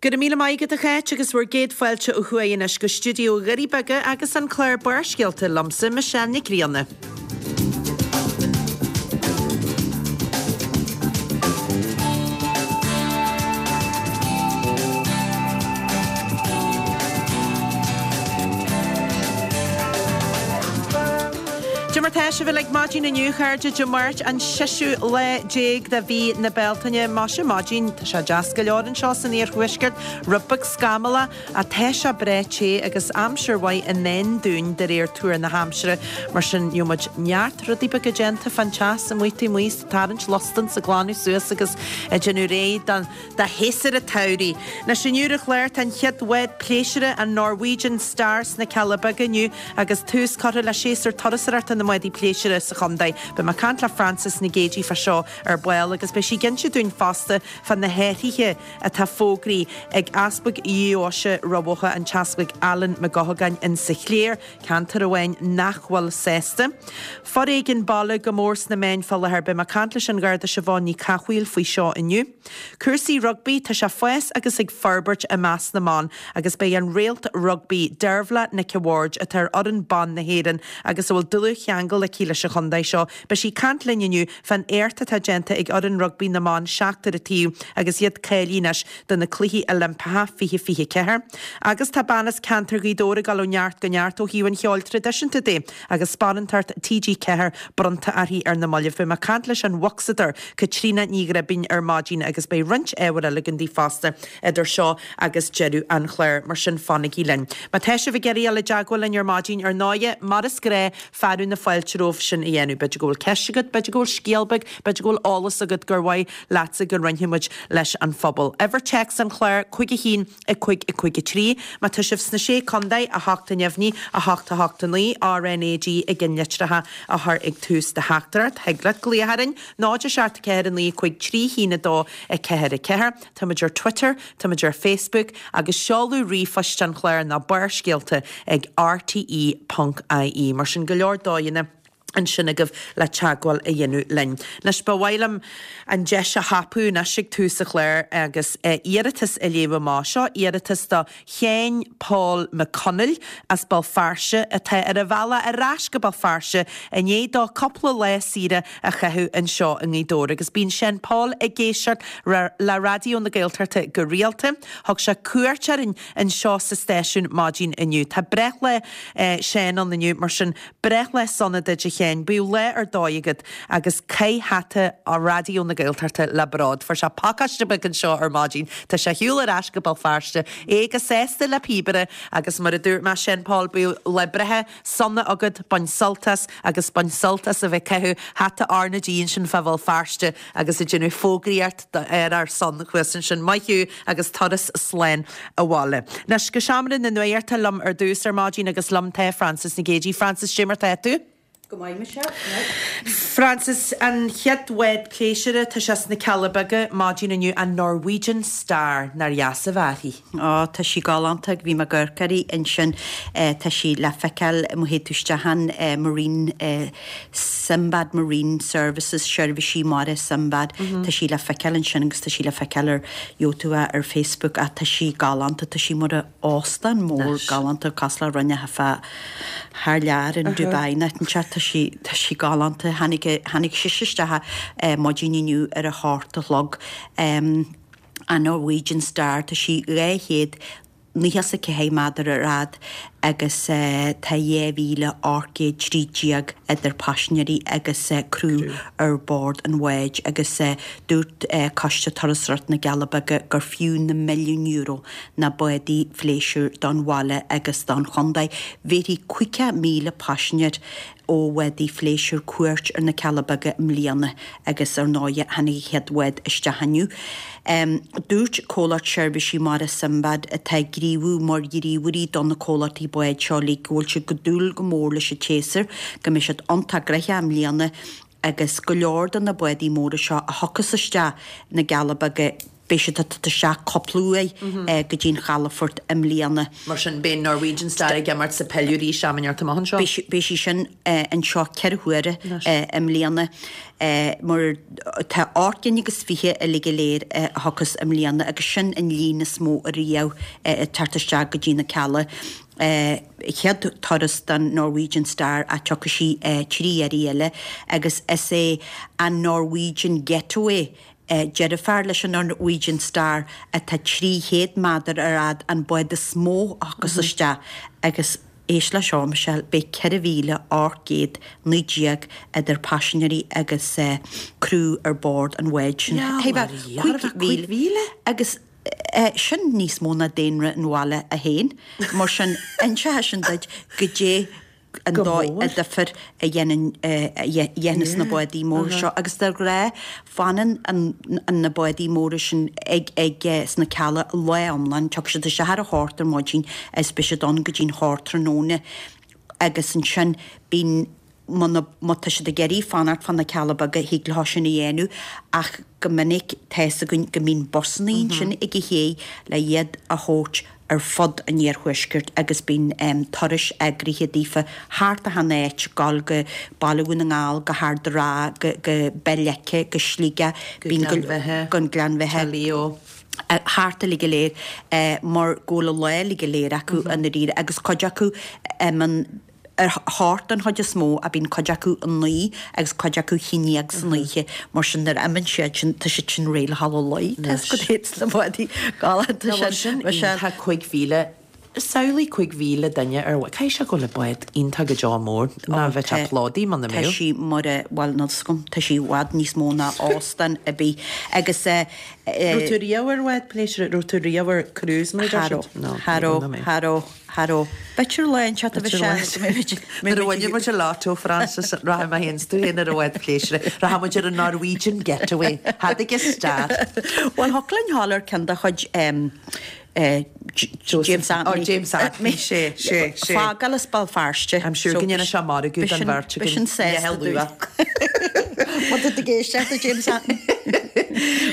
Go raibh míle maith agat a Cháit agus bhur gcéad fáilte ó thuaidh anois go stiúideo Dhoirí Beaga agus an clár Barrscéalta liomsa, Michelle Nic Grianna. Cad é mar tá sibh uilig maidin inniu, a chairde, Dé Máirt an seisiú lá déag de mhí na Bealtaine. Maise maidin, tá sé deas go leor anseo san iarthuaisceart, rud beag scamallach ach tá sé breá te agus aimsir mhaith i ndán dúinn de réir tuar na haimsire. Mar sin, gheobhaidh muid neart rudaí beaga déanta fán teas amuigh taobh amuigh, ag tarraingt lostan 's ag glanadh suas agus ag déanamh réidh don Do shéasúr an tsamhraidh. Anois inniu ar an chlár tá an chéad bhád pléisiúra, an Norwegian Star sna Cealla Beaga inniu agus tús curtha le séasúr turasóireachta na mbádaí pléisiúra sa chontae. Beidh mé ag caint le Frances Nic Géadaigh fá seo ar ball agus beidh sí ag inse dúinn fosta fá na hathruithe atá fógraithe ag Easpag Dheoise Rath Bhotha, an tEaspag Alan Mac Eochagáin insa chléir, ceantar amháin nach bhfuil sásta. Foréigean baile go mór sna meáin fá láthair. Beidh mé ag caint leis an Gharda Siobhán Ní Cathmhaoil faoi seo inniu. Cúrsaí rugbaí, tá sé ag fás agus ag forbairt i measc na mban agus beidh an réalt rugbaí Deirbhile Nic a' Bhaird, atá ar fhoireann ban na hÉireann agus a bhfuil dlúthcheangal aici leis an chontae seo, beidh sí ag caint linn inniu fán éacht atá déanta ag fhoireann rugbaí na mban seachtar an taobh agus iad cáilithe anois do na Cluichí Oilimpeacha 2024. Agus tá bean as ceantar Ghaoth Dobhair ag dul ó neart go neart ó thaobh an cheoil traidisiúnta de agus sparántacht TG4 bronnta uirthi ar na mallaibh. Beidh mé ag caint leis an bhocsadóir Caitríona Ní Ghribín ar maidin agus beidh roinnt ábhair eile againn daoibh fosta idir seo agus deireadh an chláir, mar sin fanaigí linn. Má tá sibh ag iarraidh dul i dteagmháil linn ar maidin, ar ndóighe, mar is gnáth, fearadh na fáilte romhaibh sin a dhéanamh. B'fhéidir go bhfuil ceist agat, b'fhéidir go bhfuil scéal beag, b'fhéidir go bhfuil eolas agat gur mhaith leatsa go roinnfidh muid leis an phobal. Uimhir téacs an chláir, 5 1 5 5 3. Má tá sibh sna Sé Contae, 8 a neamhní, 8 8 9, RNAG i gceannlitreacha a chur ag tús do theachtaireacht. Thig leat glaoch orainn, 0 7 4 9 5 3 1 2 4 4. Táimid ar Twitter, táimid ar Facebook agus seoladh ríomhphoist an chláir ná barrscéalta ag rte.ie. Mar sin go leor dóigheanna ansin agaibh le teagmháil a dhéanamh linn. Anois, ba mhaith liom an deis a thapú anois ag tús an chláir agus iarratas a léamh amach. Seo iarratas do Sheán Paul Mac Conaill as Béal Feirste atá ar a bhealach ar ais go Béal Feirste i ndiaidh dó cúpla lá saoire a chaitheamh anseo i nGaoth Dobhair agus bíonn Seán Paul ag éisteacht le Raidió na Gaeltachta go rialta. Thug sé cuairt orainn anseo sa stáisiún maidin inniu. Tá breithlá Sheáin ann inniu mar sin Breithlá sona duit a Sheáin, bíodh lá ar dóigh agat agus caith hata Raidió na Gaeltachta le bród. Fuair sé pacáiste beag anseo ar maidin. Tá sé ar shiúl ar ais go Béal Feirste. É go sásta le píobaire agus mar a dúirt mé, Seán Paul, bíodh lá breithe sona agat, bain sult as agus bain sult as a bheith ag caitheamh hata RnaG ansin fá Bhéal Feirste agus ag déanamh fógraíocht ar ár son thuas ansin. Maith thú agus turas slán abhaile. Anois go seomra na nuachta liom ar dtús ar maidin agus liom tá Frances Nic Géadaigh. Frances, cad é mar tá tú? Go maith, Michelle, go maith. Frances, an chéad bhád pléisiúra, tá sé sna Cealla Beaga maidin inniu, an Norwegian Star, nár dheas a bheith uirthi? Ó, tá sí galánta, bhí mé ag amharc uirthi ansin, tá sí le feiceáil má théid tú isteach ann, Marine, Sinbad Marine Services, Seirbhísí Mara Sinbad, tá sí le feiceáil ansin agus tá sí le feiceáil ar, gheobhaidh tú é ar Facebook ach tá sí galánta, tá sí mar óstán mór galánta cosúil le rud inteacht fá thar lear in Dubai nó áit inteacht, tá sí, tá sí galánta. Tháinig, tháinig sise isteach maidin inniu ar a hocht a chlog. An Norwegian Star, tá sí 200 94 méadar ar fhad agus tá 2,813 idir paisinéirí agus criú ar bord an bháid agus dúirt Coiste Turasóireachta na gCealla Beaga gur fiú na milliúin euro na bádaí phléisiúir don bhaile agus don chontae. Bhéarfaidh 50,000 paisinéir ó bhádaí phléisiúir cuairt ar na Cealla Beaga i mbliana agus ar ndóighe tháinig an chéad bhád isteach inniu. Dúirt comhlacht seirbhísí mara Sinbad atá ag gníomhú mar ghníomhairí do na comhlachtaí báid seo uilig go bhfuil siad go dúil go mór leis an tséasúr, go mbeidh siad iontach gnoitheach i mbliana agus go leor de na bádaí móra seo a thiocfas isteach na gCealla Beaga. Beidh siad ag teacht isteach cúpla uair go dtí an chalafort i mbliana. Mar sin, beidh Norwegian Star ag imirt sa peil arís am inteacht amach anseo? Beidh sí sin anseo 4 huaire i mbliana mar tá 28 gcinn agus uilig go léir a thiocfas i mbliana agus sin an líon is mó ariamh ag teacht isteach go dtí na Cealla. Chéad turas don Norwegian Star ach tiocfaidh sí 3 iarraidh eile agus is é an Norwegian Getaway Deirfiúr leis an Norwegian Star atá 300 méadar ar fhad an bád is mó a thiocfas isteach agus éist le seo, Michelle, beidh 4,819 idir paisinéirí agus criú ar bord an bháid sin. 5,000? Agus sin níos mó ná daonra an bhaile féin. Mar sin, inseoidh sin duit goidé an dóigh an difear a dhéanann a dhéanas na bádaí móra seo agus de ghnáth fanann na bádaí móra sin ag ag sna Cealla lá iomlán, tiocfaidh siad isteach ar a hocht ar maidin agus beidh siad ann go dtí'n hocht tráthnóna agus ansin bíonn muna má tá siad ag iarraidh fanacht fá na Cealla Beaga thig leo sin a dhéanamh ach go minic tá fhios againn go mbíonn busannaí ansin ag an ché le iad a thabhairt ar fud an iarthuaiscirt agus bíonn turais eagraithe daofa thart achan áit, gabháil go Baile Dhún na nGall, go hArd an Rátha, go go Béal Leice, go Sligeach, Go Gleann Bheithe, go Gleann Bheithe, Tá Leo. thart uilig go léir mar go bhfuil an lá uilig go léir acu i ndáiríre agus cuid acu an ar a hocht den chuid is mó ach bíonn cuid acu a 9 agus cuid acu a 11 san oíche mar sin nuair a imíonn siad sin tá siad sin réidh le dhul a luí tá fhios agat iad sna bádaí galánta sin sin iontach 5,000 samhlaigh 5,000 duine ar caithfidh sé go bhfuil an bád iontach go deo mór ná bheadh sé plódaithe muna mbeadh. Tá sí mar a bhuel níl fhios agam tá sí i bhfad níos mó ná óstán ar bith agus eh Raibh tú riamh ar bhád pléisiúir raibh tú riamh ar cruise mar a deir siad? Cha raibh cha raibh Cha raibh. B'fhéidir lá inteacht a bheidh sé go mbeidh muid. Nuair a bhainfidh muid an lotto, Frances, rachaidh mé féin 's tú féin ar an bhád pléisiúir. Rachaidh muid ar an Norwegian Getaway. Cad ag star? Bhuel, thiocfadh linn dhul ar ceann de chuid James Anthony. Oh, James Anthony, sé, sé, sé. Fágáil as Béal Feirste. I'm sure go ndéanfaidh sé margadh don bheirt againn. B'shin sásta dúinn. Má tá tú ag éisteacht a James Anthony.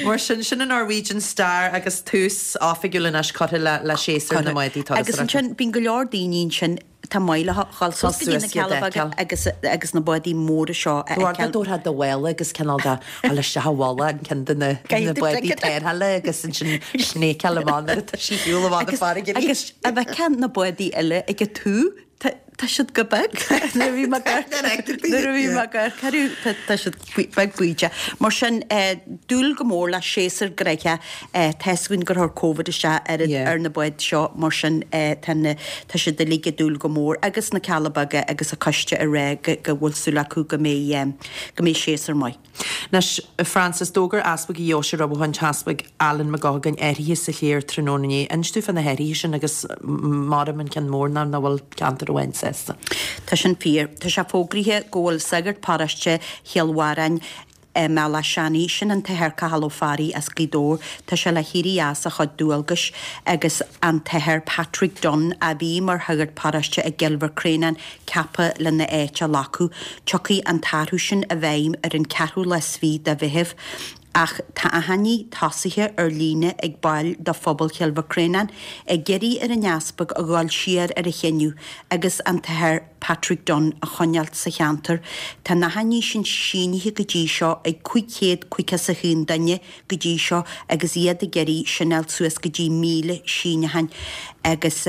Mar sin, sin an Norwegian Star agus tús oifigiúil anois curtha le le séasúr na mbádaí turasóireachta. Agus ansin, bíonn go leor daoine ansin atá maith leo dhul suas go dtí na Cealla Beaga agus agus na bádaí móra seo a fheiceáil. Tabharfá do mhála agus cineál de dhul isteach i mhála an ceann de na bádaí tarrthála agus ansin snéiceáil amach nuair atá sí ar shiúl amach na farraige arís. Agus a bhfeicfeá na bádaí eile ag an taobh, Tá siad go beag. Nuair a bhí mé nuair a bhí mé ag amharc tá siad beag bídeach. Mar sin, dúil go mór le séasúr gnoitheach. Tá fhios againn gur chuir Covid isteach ar ar na báid seo, mar sin tá na tá siad uilig ag dúil go mór agus na Cealla Beaga agus an coiste ag rá go go bhfuil súil acu go mbeidh go mbeidh séasúr maith. Anois, a Frances, d'fhógair Easpag an Dheoise rompu an tEaspag Alan Mac Eochagáin athruithe sa chléir tráthnóna inné. Inis dúinn fá na hathruithe sin agus maram an ceann mór ná nach bhfuil ceantar amháin sásta. Tá sin fíor. Tá sé fógraithe go bhfuil sagart paróiste Chill Bharráin i mBealach Seanaidh, sin an tAthair Cathal Ó Fearraigh as Gaoth Dobhair, tá sé le héirí as a chuid dualgais agus an tAthair Patrick Dunne a bhí mar shagart paróiste i gCill Mhic Réanáin ceaptha lena áit a ghlacadh. Tiocfaidh an t-athrú sin i bhfeidhm ar an ceathrú lá is fiche de Mheitheamh. Ach tá achainí tosaithe ar líne ag baill de phobal Chill Mhic Réanáin ag iarraidh ar an Easpag a dhul siar ar a chinneadh agus an tAthair Patrick Dunne a choinneáilt sa cheantar. Tá na hachainí sin sínithe go dtí seo ag 551 duine go dtí seo agus iad ag iarraidh sin a fháil suas go dtí 1,000 síneachán agus.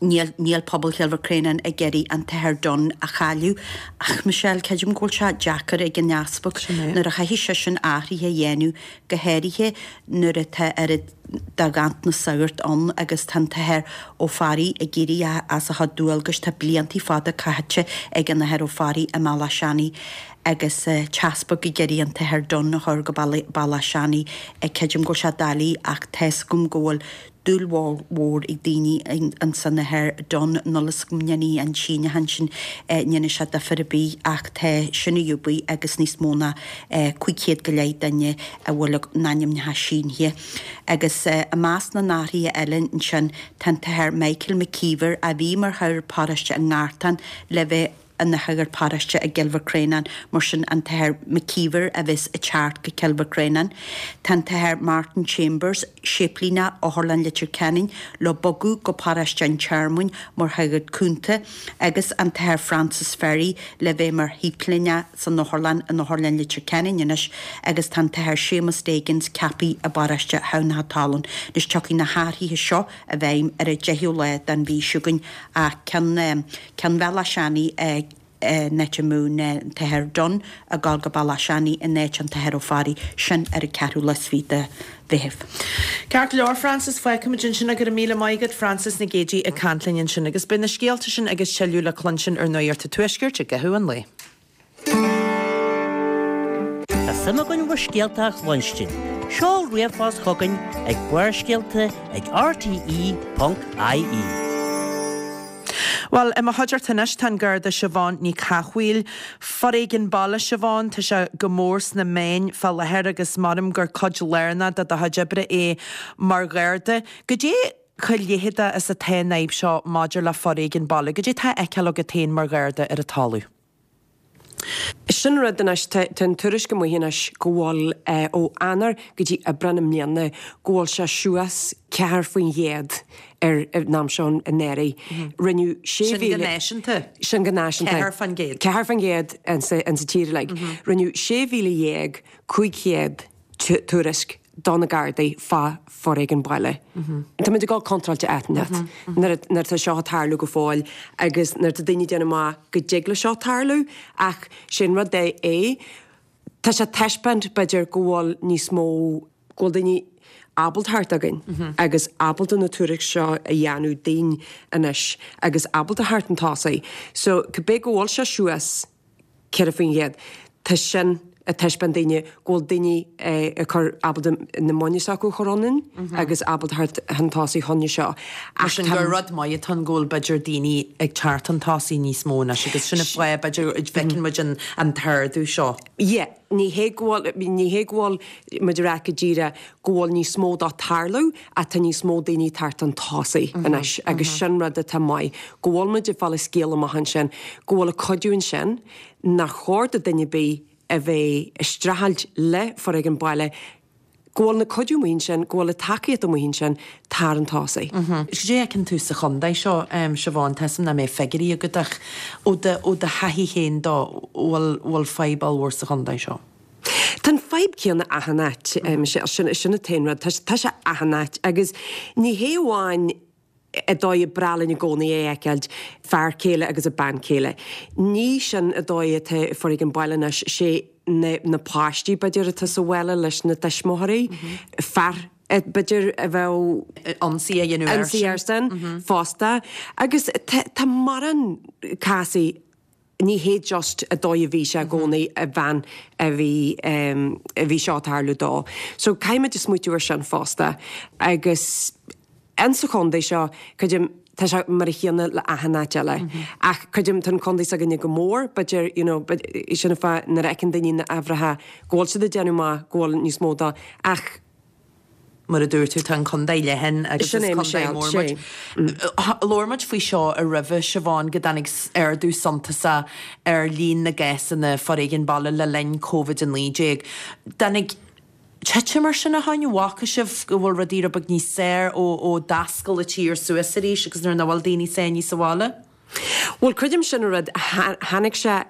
Níl, níl pobal Chill Mhic Réanáin ag iarraidh an tAthair Dunne a chailleadh. Ach, Michelle, creidim go bhfuil sé deacair ag an Easpag nuair a chaithfidh seisean athruithe a dhéanamh, go háirithe nuair atá oiread de ghanntanas sagart ann agus tá an tAthair Ó Fearraigh ag éirí as a chuid dualgais. Tá blianta fada caite ag an Athair Ó Fearraigh i mBealach Seanaidh agus an tEaspag ag iarraidh an tAthair Dunne a chur go Bealach Seanaidh. Creidim go bhfuil sé doiligh ach tá fhios agam go bhfuil dúil mhór ag daoine insan Athair Dunne, níl fhios agam an ndéanfaidh an síneachán sin, ndéanfaidh sé difear ar bith ach tá sin ar siúl agus níos mó ná 500 go leith duine a bhfuil a n-ainmneacha sínithe. Agus i measc na n-athruithe eile ansin tá an tAthair Michael McKeever a bhí mar shagart paróiste i nGartán le bheith. ina shagart paróiste i gCill Mhic Réanáin, mar sin an tAthair McKeever a bheas ag teacht go Cill Mhic Réanáin. Tá an tAthair Martin Chambers, Séiplíneach Otharlann Leitir Ceanainn, le bogadh go paróiste an Tearmainn mar shagart cúnta agus an tAthair Francis Ferry le bheith mar shéiplíneach san otharlann in Otharlann Leitir Ceanainn anois agus tá an tAthair Séamus Deigans ceaptha i bparóiste Thamhnach Talún. Anois tiocfaidh na hathruithe seo i bhfeidhm ar an 10ú lá den mhí seo chugainn ach ceann ceann Bhealach Seanaidh in áit a mbeadh an tAthair Dunne ag dul go Bealach Seanaidh in áit an tAthair Ó Fearraigh, sin ar an ceathrú lá is fiche de Mheitheamh. Ceart go leor, Frances, fágfaimid ansin é. Go raibh míle maith agat, Frances Nic Géadaigh ag caint linn ansin. Agus beidh na scéalta sin agus tuilleadh le cluinstin ar Nuacht an Tuaiscirt i gcaitheamh an lae. Tá suim againn bhur scéalta a chluinstin. Seol ríomhphost chugainn ag Barrscéalta ag rte.ie. Bhuel, i mo chuideachta anois tá an Garda Siobhán Ní Chathmhaoil. Foréigean baile, Siobhán, tá sé go mór sna meáin fá láthair agus measaim gur cuid lárnach de do chuid oibre é mar Gharda. Goidé chomh leitheadach is atá an fhadhb seo maidir le foréigean baile? Goidé atá á fheiceáil agat féin mar Gharda ar an talamh? Sin rud anois, tá an tuairisc amuigh anois go bhfuil ó Eanáir go dtí Aibreán i mbliana go bhfuil sé suas 4% ar an am seo anuraidh. Rinneadh 6,000. Sin go náisiúnta? Sin go náisiúnta. 4%. 4% insa tír uilig. Rinneadh 16,500 tuairisc do na Gardaí fá foréigean baile. Tá muid ag dul contráilte áit inteacht nuair atá seo ag tarlú go fóill agus nuair atá daoine ag déanamh amach go dtig le seo tarlú ach sé an rud é é tá sé ag taispeáint b'fhéidir go bhfuil níos mó go bhfuil daoine ábalta theacht chugainn agus ábalta na tuairisc seo a dhéanamh dínn anois agus ábalta theacht chun tosaigh. So cibé go bhfuil sé suas 4%. Tá sin ag taispeáint daoine go bhfuil daoine ag cur ábalta na muinín s'acu a chur ionainn agus ábalta theacht chun tosaigh fá choinne seo. Mar sin gur rud maith atá ann go bhfuil b'fhéidir daoine ag teacht chun tosaigh níos mó anois agus sin an fáth b'fhéidir a bhfeiceann muid an t-ardú seo. Yeah, ní hé go bhfuil, ní hé go bhfuil muid ag rá go díreach go bhfuil níos mó dó tarlú ach tá níos mó daoine ag teacht chun tosaigh anois agus sin rud atá maith, go bhfuil muid ag fáil an scéal amach ansin, go bhfuil an cuidiú ansin, nár chóir do duine ar bith a bheith ag streachailt le foréigean baile, go bhfuil na cuidiú amuigh ansin, go bhfuil an tacaíocht amuigh ansin, tar chun tosaigh. Cad é a fheiceann tú sa chontae seo, Siobhán, tá 'fhios a'm nach mbeidh figiúirí agat ach ó do ó do thaithí féin dó, bhfuil bhfuil fadhb ollmhór sa chontae seo? Tá an fadhb céanna achan áit, Michelle, sin sin an t-aon rud, tá tá sé achan áit agus ní hé amháin an dóigh ar breá linn i gcónaí é a fheiceáilt, fear céile agus a bean céile. Ní sin an dóigh atá foréigean baile anois, sé na na páistí b'fhéidir atá sa bhaile leis na tuismitheoirí, fear b'fhéidir a bheadh ionsaí a dhéanamh airsean. Ionsaí airsean fosta agus tá tá mórán cásaí Ní hé just an dóigh a bhí sé i gcónaí a bhean a bhí a bhí seo ag tarlú dó. So caithfimid smaoitiú ar sin fosta. Agus insa chontae seo, creidim, tá sé mar a chéanna le achan áit eile. Ach creidim tá an contae s'againne go mór, b'fhéidir, you know, sin an fáth nuair a fheiceann daoine na huimhreacha go bhfuil siad ag déanamh maith, go bhfuil níos mó dó. Ach. Mar a dúirt tú, tá an contae leathan agus is contae mór muid. Labhair muid faoi seo roimhe, Siobhán, go dtáinig ardú suntasach ar líon na gcásanna foréigin baile le linn Covid-19. Dtáinig titim ar sin ó shin? Bhfaca sibh go bhfuil rudaí rud beag níos saoire ó d'oscail an tír suas arís agus nuair nach bhfuil daoine sáinnithe sa bhaile? Bhuel, creidim sin an rud, tháinig sé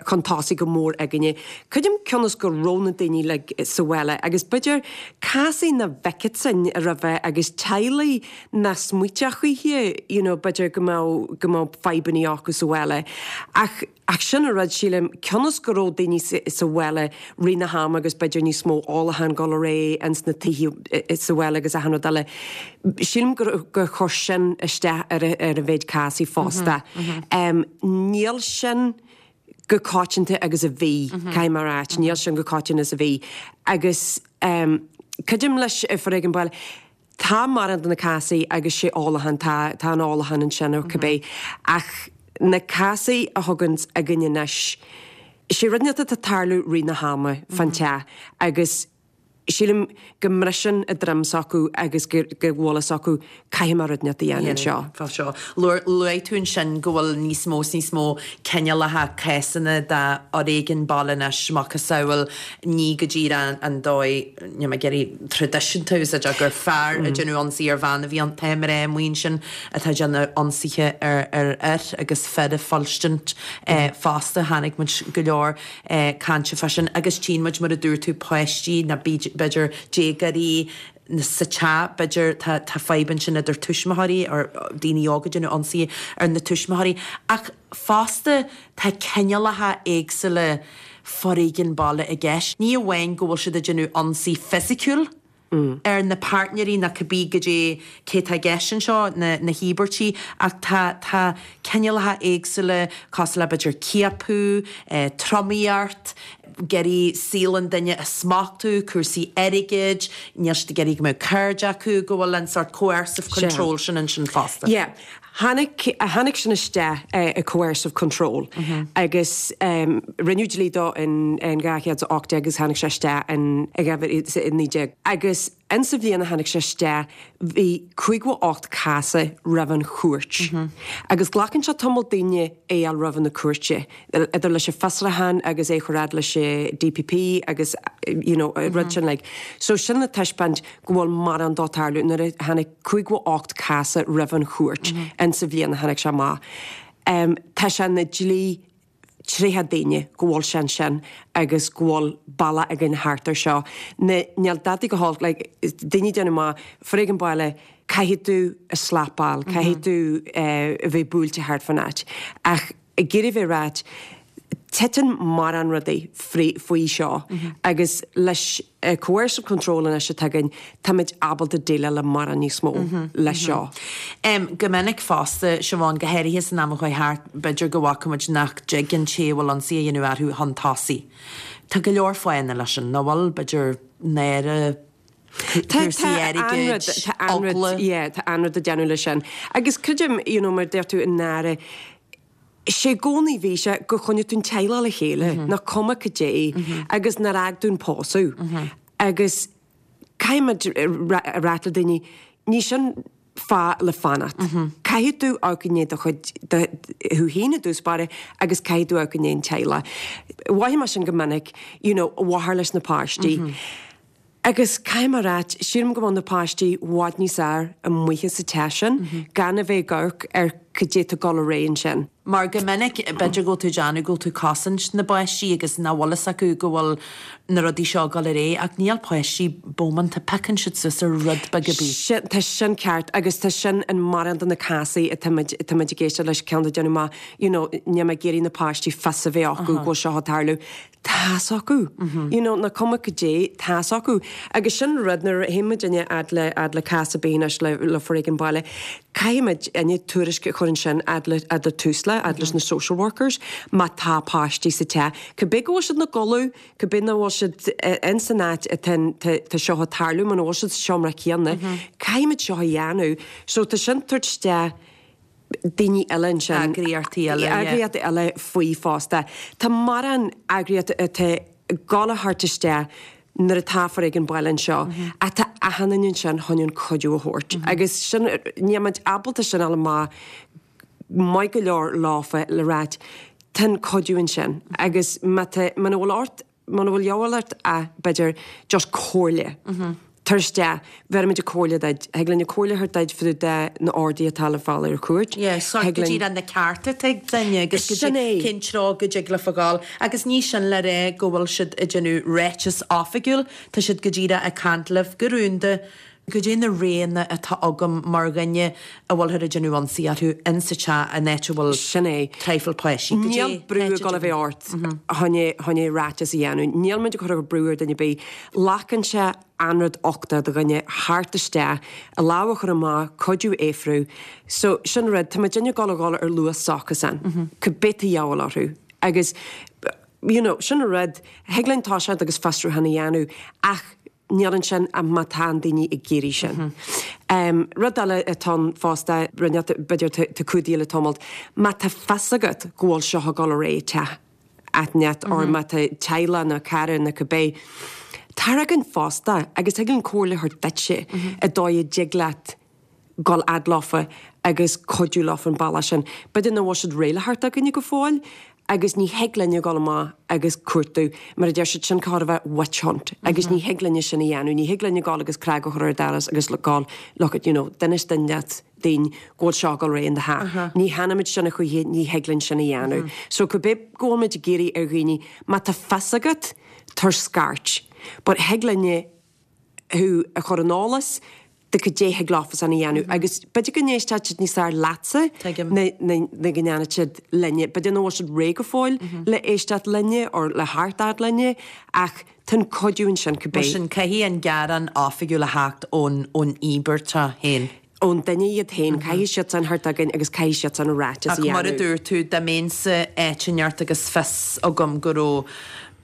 chun tosaigh go mór againne. Creidim cionn is go raibh na daoine uilig sa bhaile agus b'fhéidir cásaí nach bhfeicfeá sinn roimhe agus teaghlaigh nach smaoiteodh choíche, you know, b'fhéidir go mbeadh, go mbeadh fadhbannaí acu sa bhaile. Ach, ach sin an rud, sílim, cionn is go raibh daoine sa bhaile rith na hama agus b'fhéidir níos mó ólachán ag dul ar aghaidh ins na tithe sa bhaile agus achan rud eile, Sílim gur chuir sin isteach ar an mhéid cásaí fosta. Níl sin chomh coitianta agus a bhí, caithfidh mé a ráit, níl sin chomh coitianta is a bhí. Agus creidim leis foréigean baile, tá mórán de na cásaí agus sé ólachán, tá tá an ólachán ansin nó cibé, ach na cásaí a thugann againn anois, sé rud inteacht atá ag tarlú rith na hama fán teach agus. Sílim go mbriseann a droim s'acu agus go bhfuil fhios acu caithfidh mé rud inteacht a dhéanamh anseo. Fá seo. Luaigh tú ansin go bhfuil níos mó is níos mó cineálacha cásanna de fhoréigean baile anois, macasamhail, ní go díreach an dóigh, níl mé ag iarraidh traidisiúnta a úsáid ach gur fear ag déanamh ionsaí ar bhean a bhí ann, tá mná amuigh ansin atá ag déanamh ionsaithe ar fhir agus fir ag fuilstint fosta, chonaic muid go leor. cainte fá sin agus tchíonn muid mar a dúirt tú páistí nó b'fhéidir déagóirí sa teach b'fhéidir tá tá fadhb ansin idir tuismitheoirí or daoine óga ag déanamh ionsaí ar na tuismitheoirí ach fosta tá cineálacha éagsúla foréigean baile i gceist. Ní amháin go bhfuil siad ag déanamh ionsaí fisiciúil, ar na páirtnéirí nó cibé goidé cé tá i gceist anseo, na na híobairtí, ach tá tá cineálacha éagsúla cosúil le b'fhéidir ciapadh, tromaíocht, ag iarraidh saol an duine a smachtú, cúrsaí airgid, níl siad ag iarraidh go mbeadh cairde acu, go bhfuil an sórt coercive control sin ansin fosta. Yeah. Tháinig, tháinig sin isteach i coercive control agus rinneadh dlí dó in 2018 agus tháinig sé isteach in 2019. Agus insa bhliain a tháinig sé isteach bhí 58 cás roimh an chúirt. Agus glacann sé tamall daoine é a fháil roimh na cúirte, idir leis an fiosrúchán agus é a chur fhad leis an DPP agus you know, rud sin like. So sin le taispeáint go bhfuil mórán dó tarlú nuair a tháinig 58 cás roimh an chúirt insa bhliain a tháinig sé amach. Tá sé ina dlí 30 daoine go bhfuil sé ansin agus go bhfuil bealach againn thart ar seo. Níl dadaí go holc, like, daoine ag déanamh amach, foréigean baile, caithfidh tú a slapáil, caithfidh tú a bheith buailte thart fán áit. Ach ag iarraidh bheith ráit, titeann mórán rudaí faoi seo agus leis an coercive control anois atá againn, táimid ábalta déileáil le mórán níos mó leis seo. Go minic fosta, Siobhán, go háirithe san am a chuaigh thart, b'fhéidir go bhfaca muid nach dtig an té a bhfuil ionsaí á dhéanamh orthu chun tosaigh. Tá go leor fáthanna leis sin, nach bhfuil? B'fhéidir náire, cúrsaí airgid, eagla. Yeah, tá an-rud ag déanamh leis sin. Agus creidim, you know, mar a deir tú, an náire, sé i gcónaí bhí sé gur choinnigh tú an teaghlach le chéile, nach cuma cad é, agus nár fhág tú an pósadh. Agus caithfidh muid a ráit le daoine, ní sin fáth le fanacht. Caithfidh tú amharc i ndiaidh do chuid, thú féin i dtús báire agus caithfidh tú amharc i ndiaidh an teaghlach. Mhothaigh mé sin go minic, you know, mháthair leis na páistí. Agus caithfidh mé a ráit, sílim go bhfuil na páistí i bhfad níos fhearr amuigh sa teach sin, gan a bheith ag amharc ar cad é atá ag dul ar aghaidh ansin. Mar go minic, b'fhéidir go bhfuil tú ag déanamh go bhfuil tú ag cosaint na bpáistí agus nach bhfuil fhios acu go bhfuil na rudaí seo ag dul ar aghaidh ach níl páistí bómánta, piocann siad suas ar rud beag ar bith. Sin, tá sin ceart agus tá sin in mórán de na cásaí atá muid, atá muid ag éisteacht leis, ceann ag déanamh amach, you know, níl mé ag iarraidh na páistí fios a bheith acu go bhfuil seo ag tarlú. Tá's acu. You know, nach cuma cad é, tá's acu. Agus sin rud, nuair a théann muidinne fhad le, fhad le cás ar bith anois le, le foréigean baile, caithfidh muidinne tuairisc a chur ansin fhad le, fhad le Tusla, fhad leis na social workers, má tá páistí sa teach. Cibé go bhfuil siad ina gcodladh, cibé nach bhfuil siad in san áit atá, tá, tá seo ag tarlú, muna bhfuil siad sa seomra céanna, caithfidh muid seo a dhéanamh. So tá sin tabhairt isteach daoine eile ansin. Eagraíochtaí eile, yeah. Eagraíochtaí eile faoi fosta. Tá mórán eagraíochtaí atá ag gabháil a thabhairt isteach nuair atá foréigean baile anseo ach tá achan duine ansin chun an cuidiú a thabhairt agus sin, níl muid ábalta sin a fháil amach maith go leor leofa le ráit tá an cuidiú ansin agus má tá, muna bhfuil ort Muna bhfuil dhíobháil ort ach b'fhéidir just comhairle. Tar isteach, bhéarfaimid an comhairle duit. Thig linn an comhairle a thabhairt duit fá dtaobh de na orduithe atá le fáil ar an chúirt. Yeah, sort Thig go linn. díreach na cearta atá ag duine agus go Sin é. cén treo go dtig leofa ghabháil. Agus ní sin le rá go bhfuil siad ag déanamh ráiteas oifigiúil, tá siad go díreach ag caint libh go rúnda. Goidé na roghanna atá agam mar dhuine a bhfuilthear ag déanamh ionsaí orthu in sa teach, an áit a bhfuil Sin é. traidhfil páistí. Goidé Níl brú ag dul a bheith ort chun é, chun é ráiteas a dhéanamh. Níl muid ag cur brú ar duine ar bith. Glacann sé an-rud uchtach do dhuine theacht isteach, a lámh a chur amach, cuidiú a fhiafrú. So, sin rud, tá muidinne ag dul a dhul ar luas s'acusan. Cibé atá de dhíobháil orthu. Agus, you know, sin rud, thig linn toiseacht agus fiosrúchán a dhéanamh ach Níl ansin ach má tá an daoine ag iarraidh sin. Rud eile atá ann fosta, rinne, b'fhéidir tá cumhdaithe le tamalt, má tá fios agat go bhfuil seo ag dul ar aghaidh i teach inteacht or má tá teaghlach nó cara nó cibé, Tar chugainn fosta agus thig linn comhairle a thabhairt duitse an dóigh a dtig leat dul fhad leofa agus cuidiú leofa an bealach sin. B'fhéidir nach bhfuil siad réidh le theacht chugainne go fóill agus ní thig linne dul amach agus cuartú, mar a deir siad sin chóir a bheith witch hunt agus ní thig linne sin a dhéanamh, ní thig linne dul agus cnag a chur ar an doras agus dul look at you know d'inis duine leat dúinn go bhfuil seo ag dul ar aghaidh in do theach. Ní dhéanaimid sin a choíche, ní thig linn sin a dhéanamh. So cibé go bhfuil muid ag iarraidh ar dhaoine, má tá fios agat, tabhair scairt. But thig linne thú a chur ar an eolas de cad é thig leofasan a dhéanamh agus b'fhéidir go n-éistfeadh siad níos fearr leatsa ná go ndéanfadh siad linne. B'fhéidir nach bhfuil siad réidh go fóill le éisteacht linne or le theacht fhad linne ach tá an cuidiú ansin cibé. Mar sin caithfidh an gearán oifigiúil a theacht ón íobartach féin. ón duine iad féin, caithfidh siadsan theacht chugainn agus caithfidh siadsan a ráiteas a Ach mar a dhéanamh. dúirt tú, dá mbeinnse áit inteacht agus fios agam go raibh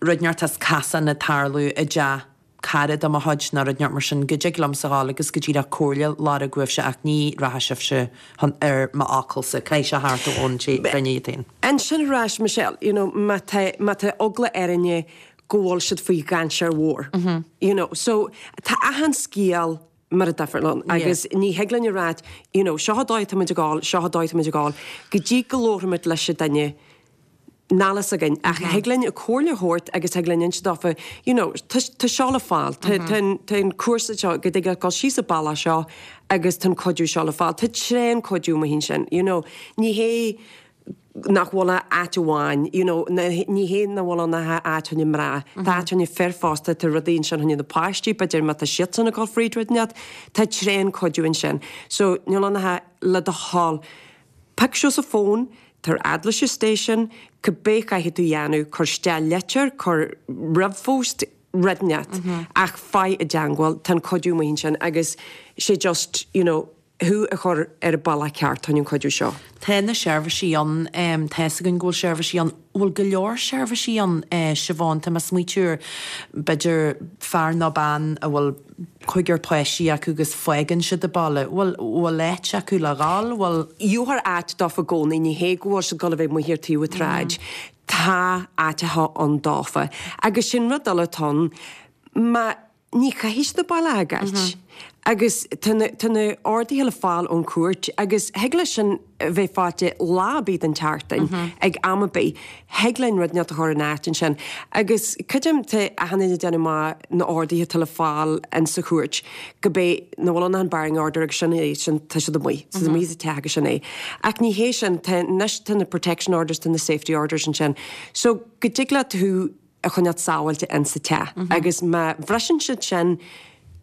rud inteacht as casán ag tarlú i dteach cara de mo chuid nó rud inteacht mar sin, go dtig liomsa dhul agus go díreach comhairle a lorg uaibhse ach ní rachaidh sibhse chun ar m'fhocalsa, caithfidh sé theacht ón duine iad féin. Ansin ar ais, Michelle, you know, má tá, má tá eagla ar éinne go bhfuil siad faoi dhainséar mhór, you know, so tá achan scéal mar difriúil ann agus ní thig linn a ráit you know seo an dóigh atá muid ag gabháil, seo an dóigh atá muid ag gabháil, go dtí go labhraímid leis an duine níl fhios againn ach thig linn comhairle a thabhairt agus thig linn inse dófa you know tá tá seo le fáil, tá tá an tá an cúrsa seo go dtig leat dul síos an bealach seo agus tá an cuidiú seo le fáil, tá tréan cuidiú amuigh ansin you know ní hé nach bhfuil ach áit amháin, you know, ní hé nach bhfuil ann ach áit fá choinne mná, tá áit fá choinne fir fosta, tá rudaí ansin fá choinne na páistí, b'fhéidir má tá siadsan ag dul fríd rud inteacht, tá tréan cuidiú ansin. So, níl ann ach le do thoil, pioc suas an fón, tar fhad leis an station, cibé chaithfidh tú a dhéanamh, cuir isteach litir, cuir ríomhphost, rud inteacht, ach faigh i dteangmháil, tá an cuidiú amuigh ansin agus sé just, you know, thú a chur ar an bealach ceart chun an cuidiú seo. Tá na seirbhísí ann, tá fhios againn go bhfuil seirbhísí ann. Bhfuil go leor seirbhísí ann, Siobhán? Tá mé ag smaoitiú ar, b'fhéidir, fear nó bean a bhfuil cúigear páistí acu agus fágann siad an baile. Bhfuil, bhfuil áit acu le dhul? Bhfuil. Gheofar áit dófa i gcónaí, ní hé go bhfuil siad ag dul a bheith amuigh ar taobh an tsráid. Tá áiteacha ann dófa. Agus sin rud eile atá ann, má. Ní chaithfidh siad an baile a fhágáilt. Agus tá na, tá na orduithe le fáil ón chúirt agus thig leis sin a bheith faighte lá ar bith den tseachtain, ag am ar bith. Thig linn rud inteacht a chur in áit ansin. Agus creidim, tá achan duine ag déanamh maith na orduithe atá le fáil in sa chúirt, go bé, nach bhfuil ann ach an barring order agus sin é, sin, tá siad amuigh, tá siad amuigh as an teach agus sin é. Ach ní hé sin, tá, anois tá na protection orders, tá na safety orders ansin. So go dtig leat thú a choinneáilt sábháilte in sa teach agus má bhriseann siad sin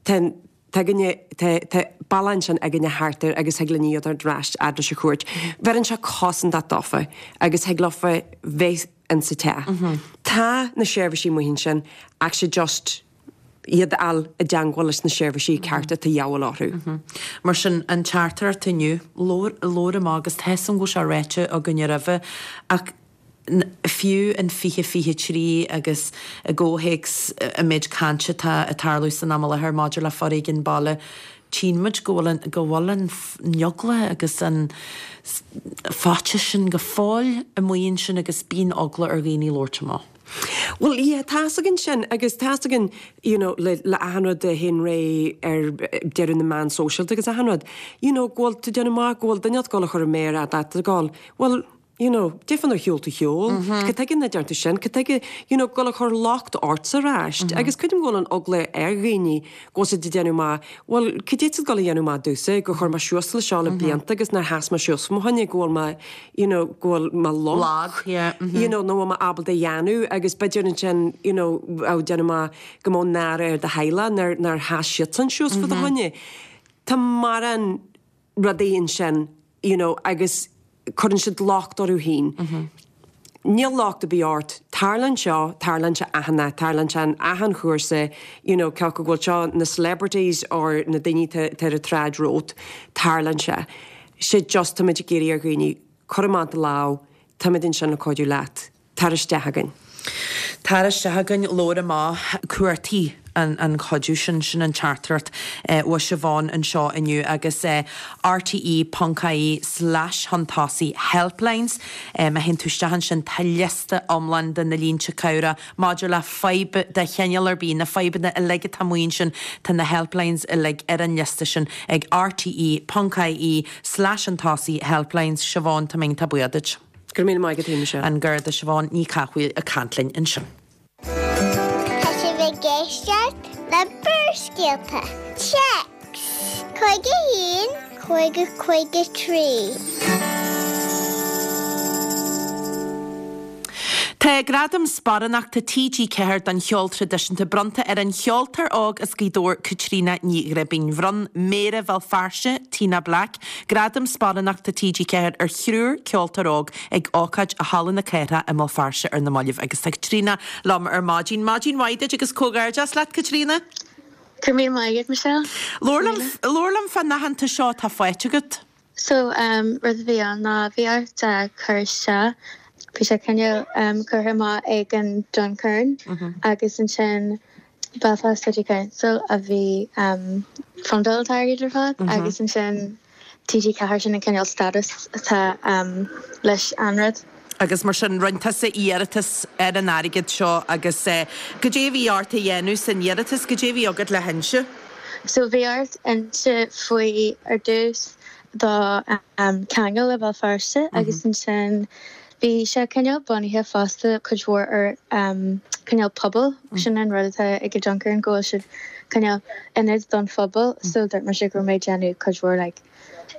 tá tá againne tá tá bealach ansin againne thart air agus thig linn iad a thabhairt ar ais fhad leis an chúirt. Bheireann sé cosantacht dófa agus thig leofa bheith in sa teach. Tá na seirbhísí amuigh ansin ach sé just iad a fháil i dteangmháil leis na seirbhísí cearta atá de dhíobháil orthu. Mar sin, an teachtaireacht inniu, labhair labhair amach agus tá 'fhios a'm go bhfuil sé ráite againne roimhe ach fiú in 2023 agus i gcomhthéacs an méid cainte atá ag tarlú san am i láthair maidir le foréigean baile, tchíonn muid go bhfuil an, go bhfuil an eagla agus an faitíos sin go fóill amuigh ansin agus bíonn eagla ar dhaoine labhairt amach. Bhuel, yeah, tá's againn sin agus tá's againn, you know, le, le achan rud a théann ar aghaidh ar deireadh na meán sóisialta agus achan rud, you know, go bhfuil tú ag déanamh amach go bhfuil duine ag dul a chur a méar fhada ort ag dul, bhuel, you know, cad é fá nár shiúil tú shiúl, cad tuige nach dtearn tú sin, cad tuige, you know, dul a chur locht ortsa ar ais. Agus creidim go bhfuil an eagla ar dhaoine go bhfuil siad ag déanamh amach, bhuel, cad é tá siad ag dul a dhéanamh amach domhsa, gur chuir mé suas le seo le blianta agus nár sheas mé suas fá mo choinne, go bhfuil mé, you know, go bhfuil mé lag, you know, nach bhfuil mé ábalta a dhéanamh agus b'fhéidir ansin, you know, ag déanamh amach go mbeadh náire ar do theaghlach nár, nár sheas siadsan suas fá do choinne. Tá mórán rudaí ansin, you know, agus cuireann siad locht orthu féin. Níl locht ar bith ort, tarlaíonn seo, tarlaíonn sé achan áit, tarlaíonn sé in achan chúrsa, you know, cé acu go bhfuil seo na celebrities or na daoine atá ar an tsráid romhat, tarlaíonn sé. Sé just táimid ag iarraidh ar dhaoine, cuir amach do lámh, táimid ansin le cuidiú leat. Tar isteach chugainn. Tar isteach chugainn, labhair amach, cuartaigh an cuidiú sin, sin an teachtaireacht ó Siobhán anseo inniu agus rte ponc ie slash chun tosaigh helplines. Má théann tú isteach ansin tá liosta iomlán de na línte cabhrach maidir le fadhb de chineál ar bith, na fadhbanna uilig atá amuigh ansin, tá na helplines uilig ar an liosta sin ag rte ponc ie slash chun tosaigh helplines. Siobhán, tá mé iontach buíoch duit. Go raibh míle maith agat, Michelle. An Garda Siobhán Ní Chathmhaoil ag caint linn ansin. Tá sibh ag éisteacht le Barrscéalta. Téacs 51 50 53. Tá Gradam Sparánachta TG4 don Cheol Traidisiúnta bronnta ar an cheoltóir óg as Gaoth Dobhair, Caitríona Ní Ghribín. Bhronn Méara Bhéal Feirste, Tina Black, Gradam Sparánachta TG4 ar thriúr ceoltóir óg ag ócáid i Halla na Cathrach i mBéal Feirste ar na mallaibh agus tá Caitríona liom ar maidin. Maidin mhaith duit agus comhghairdeas leat, Caitríona. Go raibh míle maith agat, Michelle. Labhair liom, labhair liom fán aitheantas seo atá faighte agat. So, rud a bhí ann ná bhí ort cur isteach, bhí sé cineál curtha amach ag an Duncairn agus ansin Belfast City Council a bhí fundáil an t-airgead ar fad agus ansin TG4 sin an cineál status atá leis an rud. Agus mar sin rinne tusa iarratas ar an airgead seo agus goidé a bhí ort a dhéanamh san iarratas, goidé a bhí agat le hinse? So bhí ort inse faoi ar dtús do cheangal le Béal Feirste agus ansin bhí sé cineál bunaithe fosta cuid mhór ar cineál pobal, sin an rud atá ag an Duncairn go bhfuil siad cineál ionad don phobal so dúirt mise go raibh mé ag déanamh cuid mhór like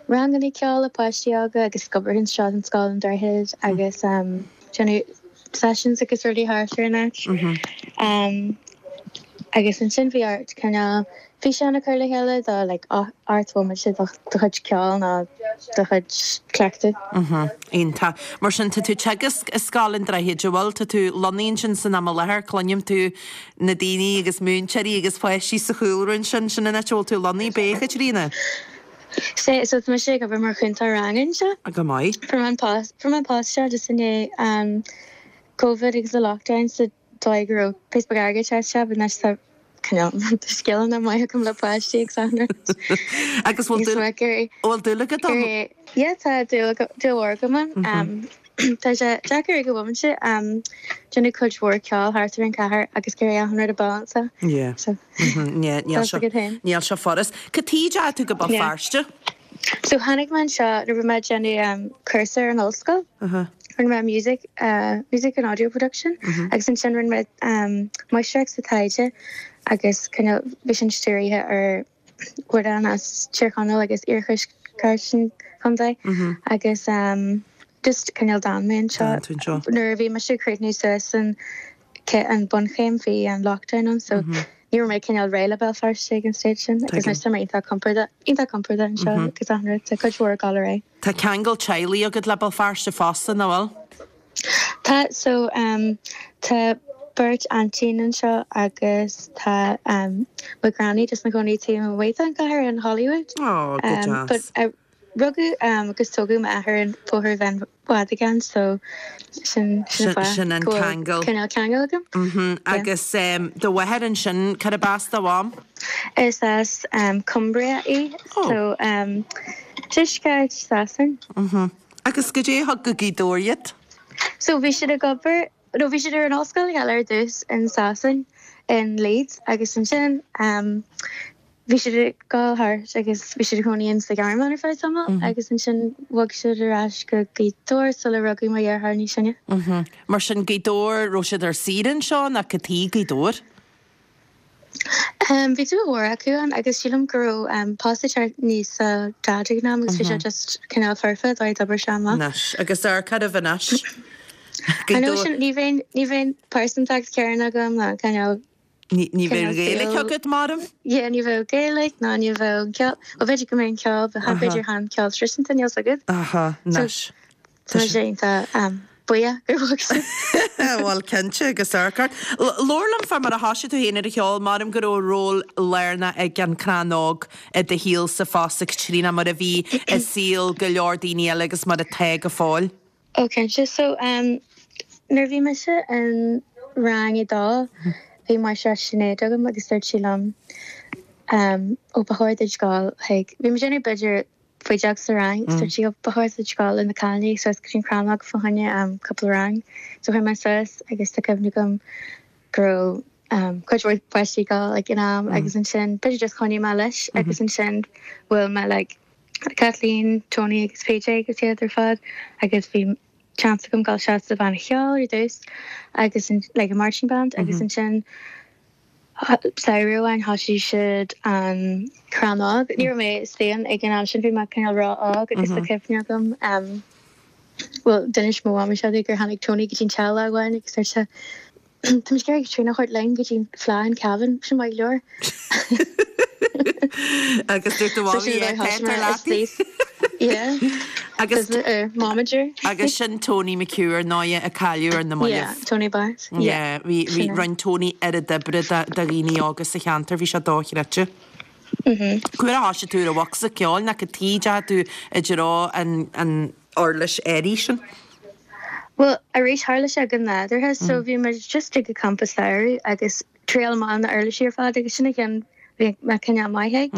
ranganna ceoil le páistí óga agus ag obair anseo in Scoil an Droichid agus déanamh sessions agus rudaí thart ar an áit. Agus ansin bhí ort cineál físeán a chur le chéile do like ocht bhomaite do do chuid ceoil nó do chuid cleachtadh. Iontach. Mar sin tá tú ag teagasc i Scoil an Droichid, an bhfuil? Tá tú lonnaithe ansin san am i láthair, cluinim tú na daoine agus múinteoirí agus páistí sa chúlra ansin, sin an áit a bhfuil tú lonnaithe, ab ea, a Chaitríona? Sea, so tá mise ag obair mar chúntóir ranga anseo. Go maith. Fuair mé an post, fuair mé an post seo just i ndiaidh um, Covid agus the lockdown sa dóigh go raibh píosa beag airgid ag teacht isteach, but anois tá cineál tá scileanna maith agam le páistí agus achan rud. Agus bhfuil dúil, bhfuil dúil agat ann? Yeah, tá dúil dúil mhór agam ann. Um, Tá sé deacair ag an bhomaite déanamh cuid mhór ceoil thart ar an chathair agus ag iarraidh achan rud a balanceáil. Yeah. So Yeah, níl sé níl sé furast. Cad chuige a ndeachaigh tú go Béal Feirste? So tháinig mé anseo nuair a bhí mé ag déanamh cúrsa ar an ollscoil. Rinne mé music, music and audio production agus ansin rinne mé máistreacht sa taighde agus cineál bhí sin stiúraithe ar amhráin as Tír Chonaill agus iarthuaisceart an chontae agus just cineál d'fhan mé anseo. Nuair a bhí mise ag críochnú suas an an bunchéim bhí an lockdown ann so ní raibh mé cineál réidh le Béal Feirste ag an stage sin agus anois tá mé iontach compordach iontach compordach anseo agus achan rud tá cuid mhór ag dul ar aghaidh. Tá ceangal teaghlaigh agat le Béal Feirste fosta, nach bhfuil? Tá, so tá beirt aintín anseo agus tá mo ghranny just ina cónaí taobh amuigh den chathair in Holywood. Oh, go deas. But rugadh agus tógadh m'athair in Bóthar Bheann Mhadagáin so sin sin an fáth Sin an go bhfuil ceangal. cineál ceangal agam. Mhm. Yeah. Agus do mháthair ansin, cárb as do mham? Is as Cumbria í, Oh. so tuaisceart Sasain. Mhm. Agus goidé a thug go Gaoth Dobhair iad? So bhí siad ag obair, no bhí siad ar an ollscoil le chéile ar dtús in Sasain, in Leeds agus ansin bhí siad ag gabháil thart agus bhí siad ag cónaí in sa Ghearmáin ar feadh tamaill agus ansin bhog siad ar ais go Gaoth Dobhair sula rugadh mo dheartháir níos sine. Mar sin Gaoth Dobhair, raibh siad ar saoire anseo nó cad chuige Gaoth Dobhair? Bhí dúil mhór acu ann agus sílim go raibh post ag teacht aníos do Dhaid ag an am agus bhí sé just cineál foirfe dóigh d'obair sé amach. Anois, agus amharc oraibh anois. I know sin, ní bheinn, ní bheinn pearsantacht chéanna agam ná cineál Ní, ní bheadh Gaeilge agat, maram? Yeah, ní bheadh Gaeilge ná ní bheadh ceol, well b'fhéidir go mbeadh an ceol, but b'fhéidir chan ceol traidisiúnta, níl 's agat. Aha, anois. Tá sé iontach buíoch gur bhog siad. Bhuel, cinnte, agus amharc ort. Labhair liom fá mar a thoisigh tú féin ar an cheol, maram go raibh ról lárnach ag an Crann Óg i do shaolsa fosta, Caitríona, mar a bhí i saol go leor daoine eile agus mar atá go fóill. Ó, cinnte. So, nuair a bhí mise in. rang a dó bhí máistreás Sinéad agam agus dúirt sí liom ó ba chóir duit gabháil chuig, bhí mé ag déanamh b'fhéidir faoi deag sa rang agus dúirt sí ó ba chóir duit gabháil le na cailíní suas go dtí an Chrannóg fá choinne cúpla rang. So chuaigh mé suas agus tá cuimhne agam go raibh cuid mhór páistí ag gabháil ag an am agus ansin b'fhéidir just choinnigh mé leis agus ansin bhuail mé like Kathleen, Tony agus PJ agus iad ar fad agus bhí chance agam dul isteach sa bhanna cheoil ar dtús agus like a marching band agus ansin samhradh amháin thosaigh siad an Crannóg. Ní raibh mé istigh ann ag an am sin, bhí mé cineál ró-óg agus tá cuimhne agam um, bhuel d'inis mo mhamaí seo gur tháinig Tony go dtí an teach lá amháin agus dúirt sé Tá muid ag iarraidh Caitríona a thabhairt linn go dtí an Fleadh in Cavan, sin maith go leor. Agus dúirt do mhamaí é tar leat. Yeah. Agus Momager. Agus sin Tony McHugh ar ndóighe a cailleadh ar na mallaibh. Yeah, Tony Barnes. Yeah, bhí bhí rinne Tony oiread oibre do dhaoine óga sa cheantar, bhí sé dochreidte. Cá huair a thoisigh tú ar an bhocsa ceoil nó cad tuige a ndeachaigh tú i dtreo an an uirlis áirithe sin? Bhuel, arís tharla sé go nádúrtha, so bhí muid just ag an campa samhraidh agus triail amach na uirlisí ar fad agus sin an ceann bhí mé cineál maith ag.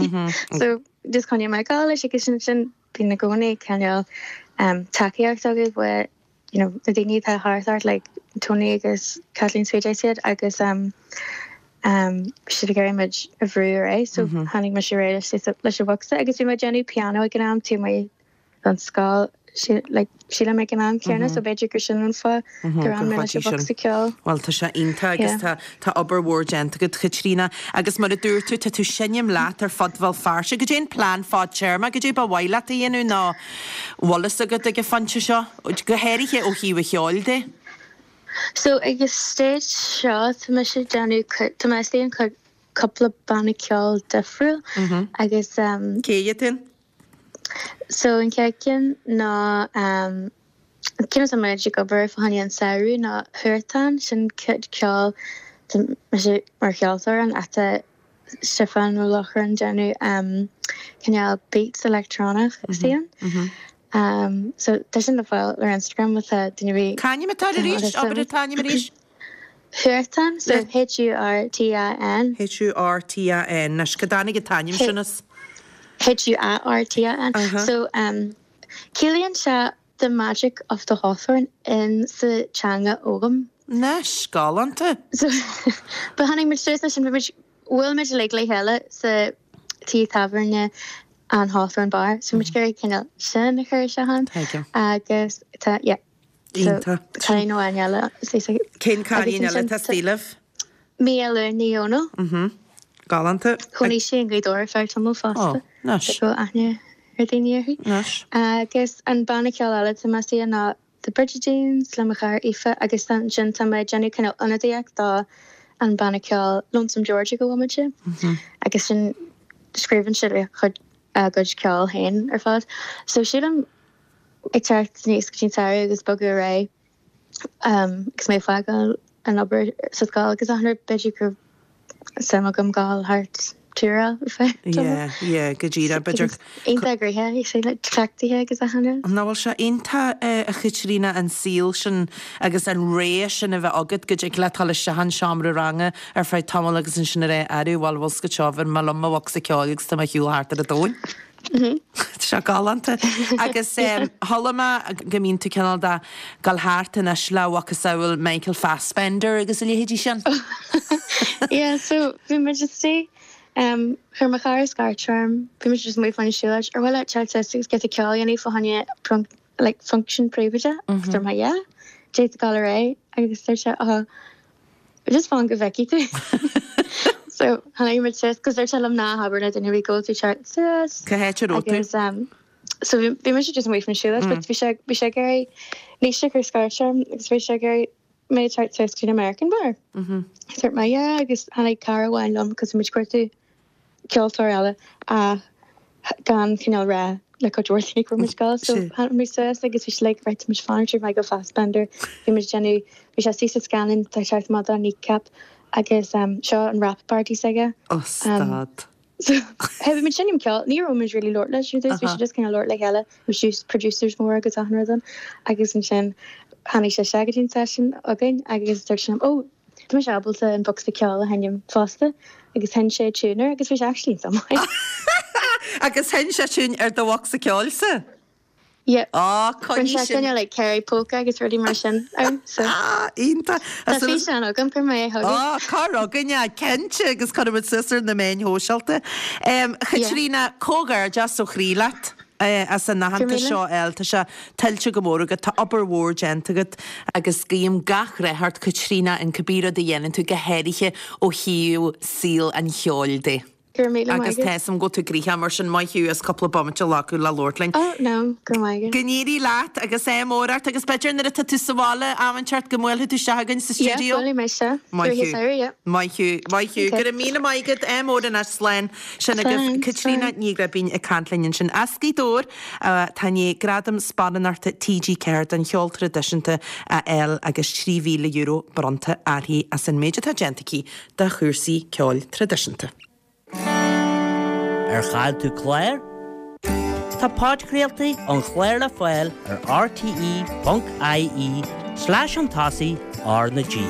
So just choinnigh mé ag gabháil leis agus sin sin bíonn i gcónaí cineál tacaíocht agat uaidh you know na daoine atá thart ort like Tony agus Kathleen is PJ siad agus um um bhí siad ag iarraidh muid a bhrú ar aghaidh so tháinig mise ar aghaidh leis leis an bhocsa agus bhí mé ag déanamh piano ag an am taobh amuigh don scoil sílim ag an am céanna so b'fhéidir gur sin an fáth gur fhan mé leis an bhocsa ceoil. Bhuel tá sé iontach agus tá tá obair mhór déanta agat Chaitríona agus mar a dúirt tú tá tú ag seinm leat ar fud Bhéal Feirste. Goidé an plean fadtéarma, goidé ba mhaith leat a dhéanamh nó bhfuil fhios agat ag an phointe seo, go háirithe ó thaobh an cheoil de? So ag an stage seo tá mise ag déanamh tá mé istigh in cúpla banna ceoil difriúil agus. Cé hiad sin? So an chéad ceann ná an ceann atá muid ag obair fá choinne an samhradh ná Huartan, sin cuid ceoil tá mise mar cheoltóir ann ach tá Stiofán Ó Lochrán déanamh cineál beats electronic istigh ann. So tá sin le fáil ar Instagram má tá duine ar bith C'ainm atá air arís? Abair an t-ainm arís. Huartan, so H-U-R-T-A-N. H-U-R-T-A-N. Anois, cá dtáinig an t-ainm sin as? H-U-A-R-T-A-N. So, ciallaíonn sé the magic of the hawthorn in sa teanga Ogham. Anois, galánta. So, but tháinig muid suas leis sin, bhí muid, bhuail muid uilig le chéile sa tí tábhairne an Hawthorn Bar, so bhí muid ag iarraidh cineál sin a chur isteach ann. Tuigim. Agus tá, yeah. Iontach. Cailín amháin eile. Cén cailín eile atá istigh libh? Micheál Ní Dhomhnaill. Galánta. Chónaigh sí i nGaoth Dobhair ar feadh tamaill fosta. Ó, nice. Go bhfuil aithne ar daoine uirthi. Nice. Agus an banna ceoil eile atá mé istigh ann ná The Brigidines le mo chara Aoife agus ansin tá mé ag déanamh cineál ionadaíocht do an banna ceoil Lonesome George ag an bhomaite. Agus sin scríobhann siad a gcuid ceoil féin ar fad. So sílim ag teacht aníos go dtí an samhradh agus bogadh ar aghaidh agus mé ag fágáil an obair sa scoil agus achan rud, b'fhéidir go raibh suim agam gabháil thart túráil ar feadh tamaill. Yeah, yeah, go díreach, b'fhéidir. Iontach gnoitheach, you see, like cleachtaithe agus achan rud. Nach bhfuil sé iontach a Chaitríona an saol sin agus an rogha sin a bheith agat go dtig leat dul isteach in seomra ranga ar feadh tamaill agus ansin a rá arú bhuel bhfuil 's agat seo bhain mé liom mo bhocsa ceoil agus tá mé ar shiúl thart ar an domhan. Tá sé galánta. Agus chuala mé go mbíonn tú cineál de dul thart anois le macasamhail Michael Fassbender agus a leithéidí sin. Yeah, so bhí muid istigh, chuir mo chara scairt orm, bhí muid just amuigh fá choinne siúlóid, ar mhaith leat teacht suas agus giota ceoil a dhéanamh fá choinne like function príobháideach? Agus dúirt mé yeah, d'fhéadfá dul ar aghaidh agus dúirt sé oh, Just fan go bhfeicfidh tú. So tháinig muid suas, cos dúirt sé liom ná habair le duine ar bith go bhfuil tú teacht suas. Cá háit a raibh tú? Agus um, so bhí bhí mise just amuigh faoin siúlóid, but bhí sé bhí sé ag iarraidh Naoise a chuir scairt orm agus bhí sé ag iarraidh mé teacht suas go dtí an American Bar. Dúirt mé yeah agus tháinig cara amháin liom cos bhí muid ag cuartú ceoltóir eile ach gan cineál rá le cuid mhór daoine go raibh muid ag gabháil. So tháinig muid suas agus bhí sé like right tá muid fanacht ar Michael Fassbender. Bhí muid ag déanamh, bhí sé istigh sa scannán tá teacht amach do Kneecap agus seo an wrap party s'aige. Oh stad. So hey bhí muid ag seinm ceoil, ní raibh muid really labhairt leis ar dtús, bhí sé just cineál labhairt le chéile, bhí producers móra agus achan rud ann agus ansin tháinig sé isteach go dtí an session againn agus dúirt sé liom oh! Tá mise ábalta an bocsa ceoil a sheinm fosta agus sheinn sé tiún air agus bhí sé actually an-mhaith. Agus sheinn sé tiún ar do bhocsa ceoilsa? Yeah. Á, Rinne coinnigh sé sin. cineál like Kerry polka agus rudaí mar sin air so. Ah, iontach. Tá físeán agam, cuirfidh mé é chugaibh. Á, cuir chugainn é, cinnte, agus cuirfidh muid suas ar na meáin shóisialta. A Chaitríona, comhghairdeas ó chroí leat as an aitheantas seo a fháil. Tá sé tuillte go mór agat, tá obair mhór déanta agat agus guím gach rath ort, Caitríona, in cibé rud a dhéanann tú, go háirithe ó thaobh saol an cheoil de. Go raibh míle maith Agus agat. tá 'fhios a'm go bhfuil tú gnoitheach mar sin maith thú as cúpla bomaite a ghlacadh le labhairt linn. Oh no, go raibh maith agat. Go n-éirí leat agus ádh mór ort agus b'fhéidir nuair atá tú sa bhaile am inteacht go mbuailfidh tú isteach againn sa Yeah, stiúideo. buailfidh mé isteach. Maith Rith thú. an samhradh, yeah. Maith thú, maith thú. Okay. Go raibh míle maith agat, ádh mór anois, slán. Sin agaibh Slán, Caitríona slán. Ní Ghribín ag caint linn ansin as Gaoth Dobhair atá i ndiaidh Gradam Sparánachta TG4 don Cheol Traidisiúnta a fháil agus €3,000 bronnta uirthi as an méid atá déanta aici do chúrsaí ceoil traidisiúnta. Ar chaill tú clár? Tá podchraoltaí an chláir le fáil ar rte.ie slash chun tosaigh R na G.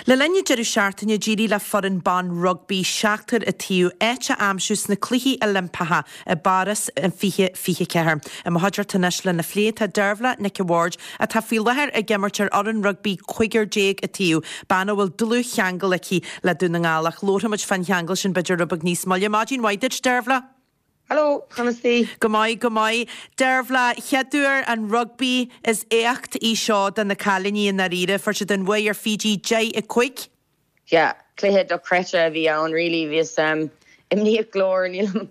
Le linn an deireadh seachtaine, d'éirigh le foireann ban rugbaí seachtar an taobh áit a aimsiú sna Cluichí Oilimpeacha i bPáras in 2024. I mo chuideachta anois lena phlé tá Dearbhla Nic a' Bhaird, atá faoi láthair ag imirt ar fhoireann rugbaí cúigear déag an taobh, bean a bhfuil dlúthcheangal aici le Dún na nGall ach labharfaimid fán cheangal sin b'fhéidir rud beag níos moille. Maidin mhaith duit, Dearbhla. Hello, conas taoi? Go maith, go maith. Dearbhla, chéaduair an rugbaí is éacht í seo do na cailíní i ndáiríre. Fuair siad an bhuaidh ar Fiji 10, 5. Yeah, cluiche dochreidte a bhí ann really, bhíos imníoch go leor, nílim,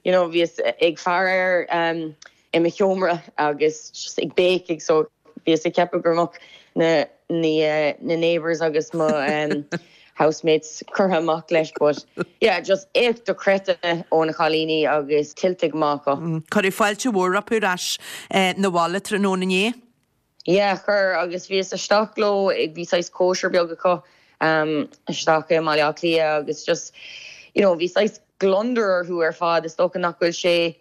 you know, bhíos ag faire air i mo sheomra agus just ag béicigh so bhíos ag ceapadh go mbeadh na na neighbours agus mo housemates curtha amach leis but yeah, just éacht dochreidte ó na cailíní agus tuillte go maith acu. Cuireadh fáilte mhór rompu ar ais 'na bhaile tráthnóna inné. Yeah, chuir, agus bhíos isteach leo, bhí saghas cóisir beag acu isteach i mBaile Átha Cliath agus just, you know, bhí saghas gliondar orthu ar fad, is dócha nach bhfuil sé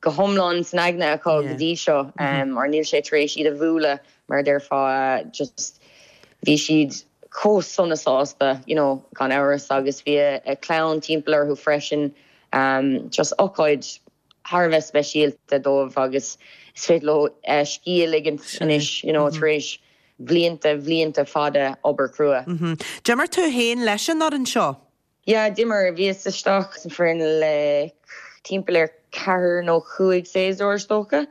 go hiomlán san aigne acu go dtí seo, or níl sé tar éis iad a bhualadh, mar a déarfá, just bhí siad chomh sona sásta, you know, gan amhras, agus bhí a clann timpeall orthu freisin, just ócáid thar a bheith speisialta dóibh agus is féidir leo scíth a ligint anois, you know, tar éis bhlianta, bhlianta fada obair chrua. D'imir tú féin leis an fhoireann seo? Yeah, d'imir. Bhíos isteach san foireann le timpeall ar ceathair nó chúig séasúr is dócha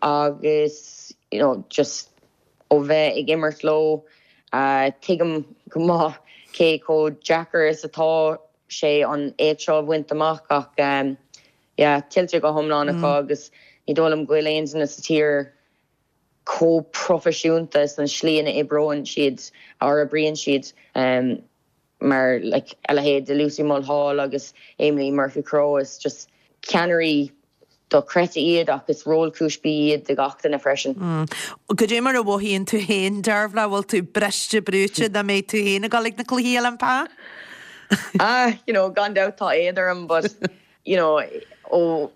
agus, you know, just ó bheith ag imirt leo, tuigim go maith cé chomh deacair is atá sé an éacht seo a bhaint amach ach yeah, tuillte go hiomlán acu agus ní dóigh liom go bhfuil aon duine sa tír chomh proifisiúnta san slí ina oibreoinn siad or oibríonn siad mar like a leithéid de Lucy Mulhall agus Emily Murphy Crowe is just ceannairí dochreidte iad ach is rólchúisbí iad do gach duine freisin. Goidé mar a mhothaíonn tú féin, Dearbhla, bhfuil tú briste brúite dá mbeidh tú féin ag dul ag na Cluichí Oilimpeacha? Ah, you know, gan dabht tá éad orm but, you know, ó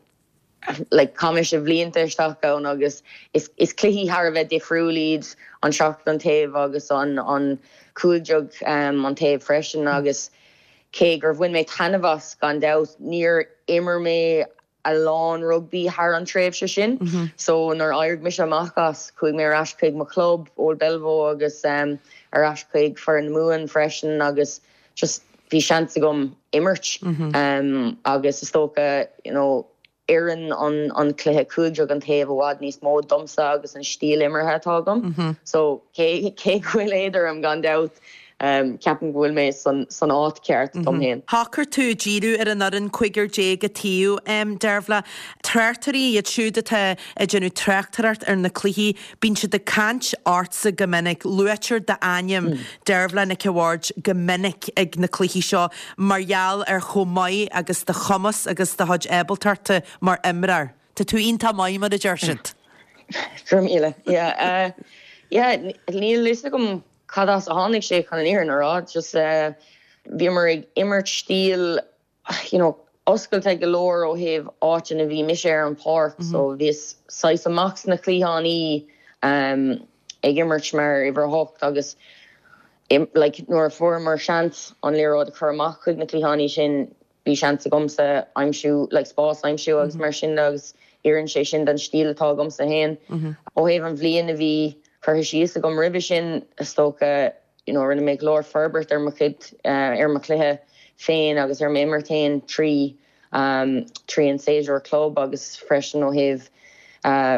like chaith mise blianta isteach ann agus is is cluichí thar a bheith difriúil iad an seachtar an taobh agus an an 15 an taobh freisin agus cé gur bhain mé taitneamh as gan dabht níor imir mé a lán rugbaí thar an tréimhse sin. So nuair a d'éirigh mise amach as, chuaigh mé ar ais chuig mo chlub, Old Belvo agus ar ais chuig foireann na Mumhan freisin agus just bhí seans agam imirt agus is dócha you know oireann an an cluiche 15 an taobh i bhfad níos mó domsa agus an stíl imeartha atá agam. So cé cé go bhfuil éad orm gan dabht, Ceapaim go bhfuil mé san áit ceart dom féin. Shocair tú díriú ar an fhoireann cúigear déag an taobh, Dearbhla. Tráchtairí, iad siúd atá ag déanamh tráchtaireacht ar na cluichí, bíonn siad ag caint ortsa go minic. Luaitear d'ainm, Dearbhla Nic a' Bhaird, go minic ag na cluichí seo mar gheall ar chomh maith agus do chumas agus do chuid ábaltachta mar imreoir. Tá tú iontach maith, mar a deir siad. Go raibh míle. Yeah, yeah, níl fhios agam Cad as a tháinig sé chun an fhírinne a rá, just bhíomar ag imirt stíl you know oscailte go leor ó thaobh áit ina bhí mise ar an pháirc so bhíos saghas amach sna cliathánaí. ag imirt mar uimhir a hocht agus like nuair a fuaireamar seans an liathróid a chur amach chuig na cliathánaí sin bhí seans agamsa aimsiú like spás a aimsiú agus mar sin de agus oireann sé sin don stíl atá agamsa féin. Ó thaobh an bhliain a bhí curtha síos agam roimhe sin is dócha you know rinne mé go leor forbairt ar mo chuid ar mo chluiche féin agus ar m'imirt féin trí trí an séasúr club agus freisin ó thaobh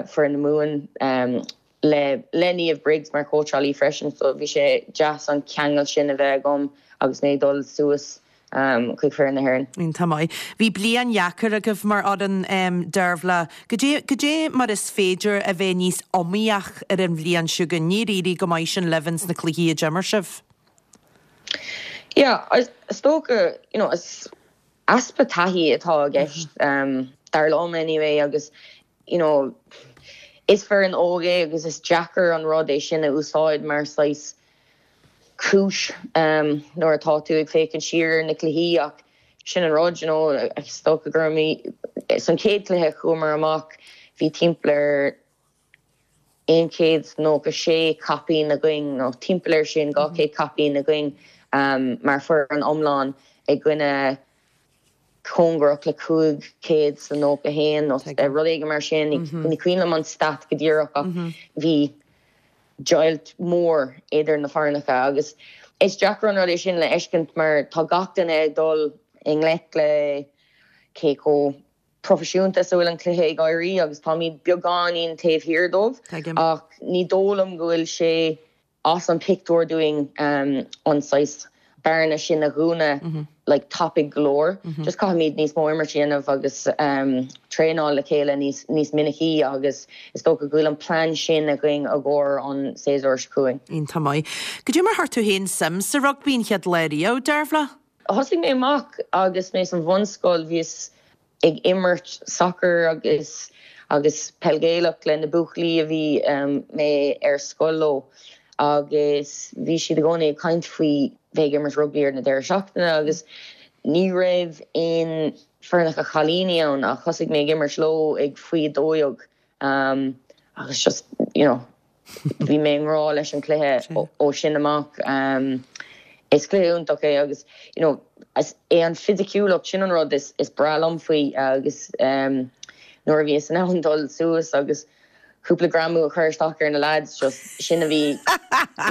foireann na Mumhan le le Niamh Briggs mar chóitseálaí freisin so bhí sé deas an ceangal sin a bheith agam agus mé ag dul suas chuig foireann na hÉireann. Iontach maith. Bhí bliain dheacair agaibh mar fhoireann, Dearbhla. Goidé goidé mar is féidir a bheith níos iomaíoch ar an bhliain seo chugainn? Níor éirigh go maith sin libh ins na cluichí a d'imir sibh. Yeah, is dócha, you know, is easpa taithí atá i gceist, dar liom anyway, agus you know, is foireann óg é agus is deacair an rud é sin a úsáid mar saghas cúis nuair atá tú ag féachaint siar ar na cluichí ach sin an rud, you know, is dócha go raibh san chéad cluiche chuamar amach bhí timpeall ar 196 caipín againn nó timpeall ar sin, 200 caipín againn mar foireann iomlán i gcoinne cóngarach le 591 nó rud éigin mar sin. Ní cuimhin liom an stat go díreach ach bhí deighilt mhór idir na foirneacha agus is deacair an rud é sin le fheiscint mar tá gach duine ag dul i ngleic le cé chomh proifisiúnta is a bhfuil an cluiche ag éirí agus táimid beagáinín taobh thiar dóibh ach ní dóigh liom go bhfuil sé as an pictiúr dúinn an saghas bearna sin a dhúnadh like tapaidh go leor. Just caithfimid níos mó imirt a dhéanamh agus traenáil le chéile níos níos minicí agus is dócha go bhfuil an plean sin againn i gcomhair an séasúr seo chugainn. Iontach maith. Goidé mar chuir tú féin suim sa rugbaí an chéad lá riamh, Dearbhla? Thosaigh mé amach agus mé san bhunscoil, bhíos ag imirt sacair agus agus peil Ghaelach le na buachaillí a bhí mé ar scoil leo agus bhí siad i gcónaí ag caint faoi bheith ag imirt rugbaí ar na deireadh seachtaine agus ní raibh aon foirneacha chailíní ann ach thosaigh mé ag imirt leo ag faoi 12 agus just you know Bhí mé i ngrá leis an chluiche ó sin amach. Is cluiche iontach é agus you know is é an fisiciúlacht sin an rud is breá liom faoi agus nuair a bhíos in ann dul suas agus cúpla greamú a chur isteach ar na lads just sin a bhí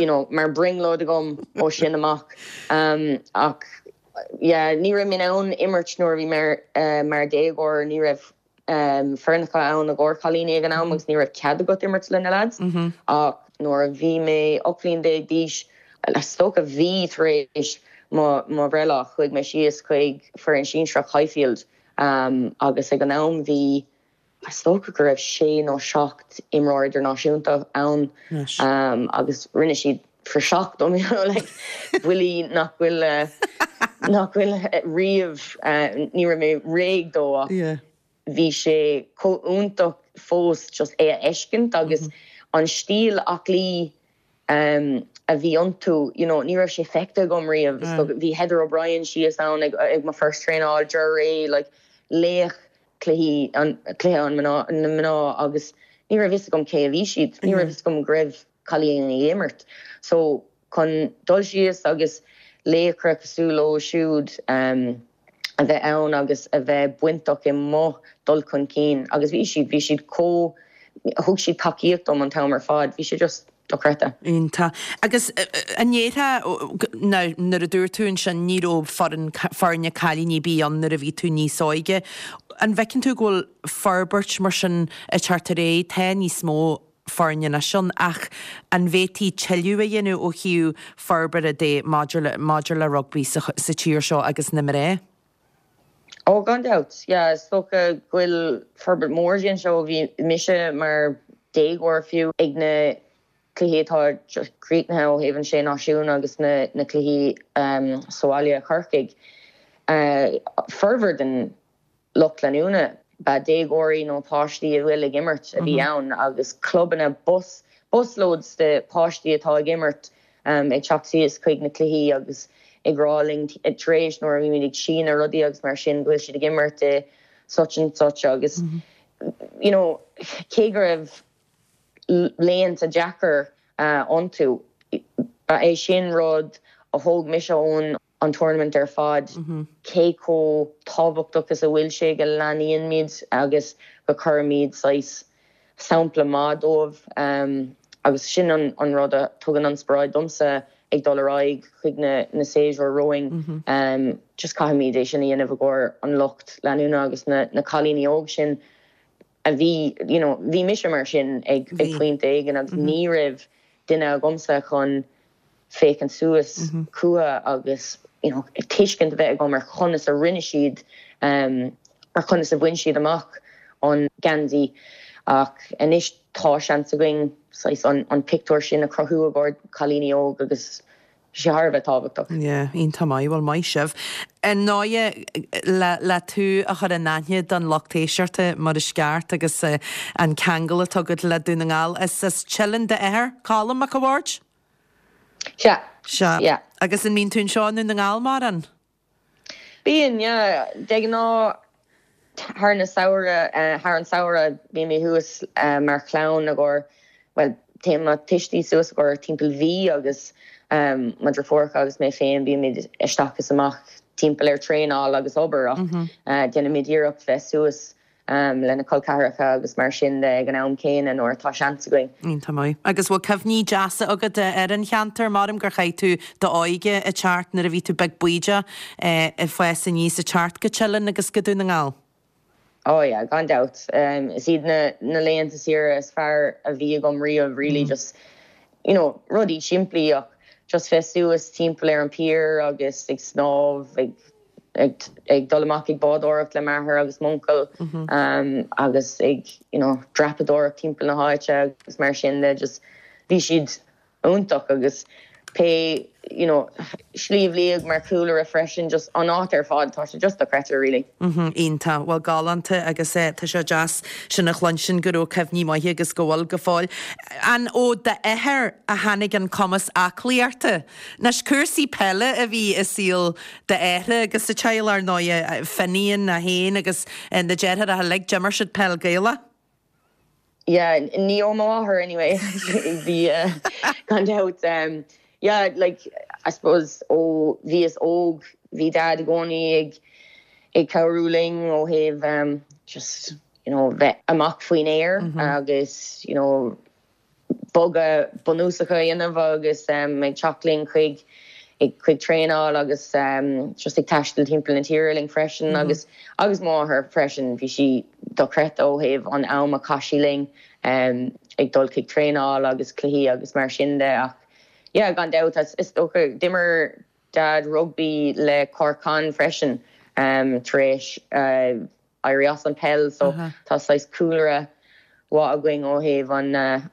you know mar brionglóid agam ó sin amach. Ach yeah ní raibh mé in ann imirt nuair a bhí mé mar déagóir, ní raibh foirneacha ann i gcomhair cailíní ag an am agus ní raibh cead agat imirt le na leaids. Ach nuair a bhí mé 18 bhliain d'aois, is dócha mhí tar éis mo bhreithlá, chuaigh mé síos chuig foireann sinsearach Highfield agus ag an am bhí, is dócha go raibh sé nó seacht imreoir idirnáisiúnta ann agus rinne siad praiseach dom, you know, like buillí nach bhfuil, nach bhfuil riamh, ní raibh mé réidh dó ach bhí sé chomh iontach fós just é a fheiscint agus an stíl aclaí a bhí iontu, you know, ní raibh sé feicthe agam riamh. Bhí Heather O'Brien síos ann ag ag mo first traenáil, Ger Ray, like laoch cluichí, an cluiche an mná, na mná agus ní raibh fhios agam cé a bhí siad, ní raibh fhios agam go raibh cailíní ag imirt. So chun dul síos agus laochra cosúil leo siúd a bheith ann agus a bheith bainteach i mo dul chun cinn agus bhí siad, bhí siad chomh, thug siad tacaíocht dom an t-am ar fad, bhí sé just dochreidte. Iontach. Agus an ndéarfá, now nuair a dúirt tú ansin ní raibh foireann, foirne cailíní ar bith ann nuair a bhí tú níos óige, an bhfeiceann tú go bhfuil forbairt mar sin ag teacht ar aghaidh, tá níos mó foirne anois ann ach an bhféadfaí tuilleadh a dhéanamh ó thaobh forbartha de maidir le, maidir le rugbaí sa, sa tír seo agus na mná? Ó, gan dabht, yeah, is dócha go bhfuil forbairt mhór déanta ó bhí mise mar déagóir fiú ag na cluichí atá críochnaithe ó thaobh an Sé Náisiún agus na, na cluichí sa bhaile i Corcaigh. Formhór den lucht leanúna. Ba déagóirí nó páistí a bhfuil ag imirt a bhí ann agus clubanna, bus, busloads de páistí atá ag imirt ag teacht síos chuig na cluichí agus ag rá linn tar éis nuair a bhímid ag síniú rudaí agus mar sin go bhfuil siad ag imirt i such and such agus you know cé go raibh laethanta deacair. iontu. Ba é sin rud a thóg mise ón an tournament ar fad, cé chomh tábhachtach is a bhfuil sé go leanaímid agus go cuirimid saghas sampla maith dóibh agus sin an rud a tugann inspioráid domsa ag dul ar aghaidh chuig na séasúir romhainn. Just caithfimid é sin a dhéanamh i gcomhair an lucht leanúna agus na cailíní óg sin a bhí, you know, bhí mise mar sin ag pointe éigin agus ní raibh duine agamsa chun féachaint suas chucu agus you know tuiscint a bheith agam ar chonas a rinne siad ar chonas a bhain siad amach an geansaí ach anois tá seans againn saghas an an pictiúr sin a chruthú i gcomhair cailíní óg agus tá sé thar a bheith tábhachtach. Yeah, iontach maith, bhuel maith sibh. Ar ndóighe le le tú a chur in aithne don lucht éisteachta mar is ceart agus an ceangal atá agat le Dún na nGall, is as Teileann d'athair, Colm Mac a' Bhaird? Sea. Sea. Yeah. Agus an mbíonn tú anseo i nDún na nGall mórán? Bíonn, yeah. De ghnáth thar na samhradh, thar an samhradh bíonn mé thuas mar chlann i gcomhair, bhuel, téann mo tuistí suas i gcomhair timpeall mhí agus mo dheirfiúracha agus mé féin bímid isteach is amach timpeall ar traenáil agus obair ach déanaimid iarracht bheith suas le na col ceathracha agus mar sin de ag an am céanna nuair atá seans againn. Iontach maith. Agus bhfuil cuimhní deasa agat ar an cheantar? Maram gur chaith tú d'óige ag teacht nuair a bhí tú beag bídeach ag fás aníos ag teacht go Teileann agus go Dún na nGall. Oh yeah, gan dabht. Is iad na na laethanta saoire is fearr a bhí agam riamh really just you know rudaí simplí ach just bheith suas timpeall ar an pier agus ag snámh ag ag dul amach ag bádóireacht le m'athair agus m'uncail agus ag you know dreapadóireacht timpeall na háite agus mar sin de just bhí siad iontach agus pé you know Sliabh Liag mar chúlra freisin just an áit ar fad tá sé just dochreidte really. Iontach, bhuel galánta agus tá sé deas sin a chluinstin go raibh cuimhní maithe agus go bhfuil go fóill. An ó d'athair a tháinig an cumas aclaíochta? Anois, cúrsaí peile a bhí i saol d'athar agus sa teaghlach, ar ndóighe, Finian é féin agus na deartháireacha uilig, d'imir siad peil Gaelach. Yeah, ní ó mo mháthair anyway. Bhí, gan dabht. Yeah, like, I suppose ó bhíos óg, bhí Dad i gcónaí ag ag cabhrú linn ó thaobh just, you know, bheith amach faoin aer agus, you know, bogadh bunúsacha a dhéanamh agus ag teacht linn chuig chuig traenáil agus just ag taisteal timpeall na tíre linn freisin agus agus mo mháthair freisin bhí sí dochreidte ó thaobh an am a chaith sí linn ag dul chuig traenáil agus cluichí agus mar sin de ach yeah gan dabht is dócha d'imir Dad rugbaí le Cork Con freisin tar éis éirí as an peil so tá saghas cúlra mhaith againn ó thaobh an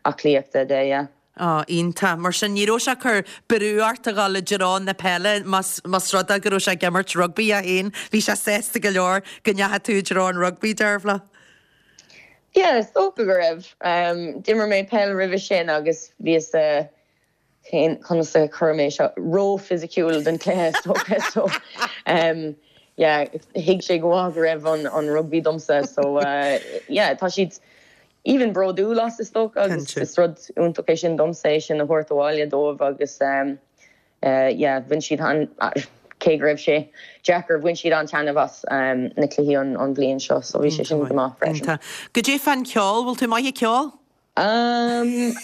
aclaíochta de, yeah. Á, iontach. Mar sin, ní raibh sé ag cur brú ort a dhul i dtreo na peile más más rud é go raibh sé ag imirt rugbaí é féin. Bhí sé sásta go leor go ndeachaigh tú i dtreo an rugbaí, Dearbhla. Yeah, is dócha go raibh. D'imir mé peil roimhe sin agus bhíos cén, conas a chuir mé seo, ró-fhisiciúil don chluiche is dócha so yeah thuig sé go maith go raibh an an rugbaí domsa so yeah tá siad even bródúil as is dócha agus is rud iontach é sin domsa é sin a thabhairt abhaile dóibh agus yeah bhain siad an cé go raibh sé deacair bhain siad an-taitneamh as na cluichí an an bhliain seo so bhí sé sin go maith freisin. Goidé fán cheol, bhfuil tú maith ag ceol? Umm,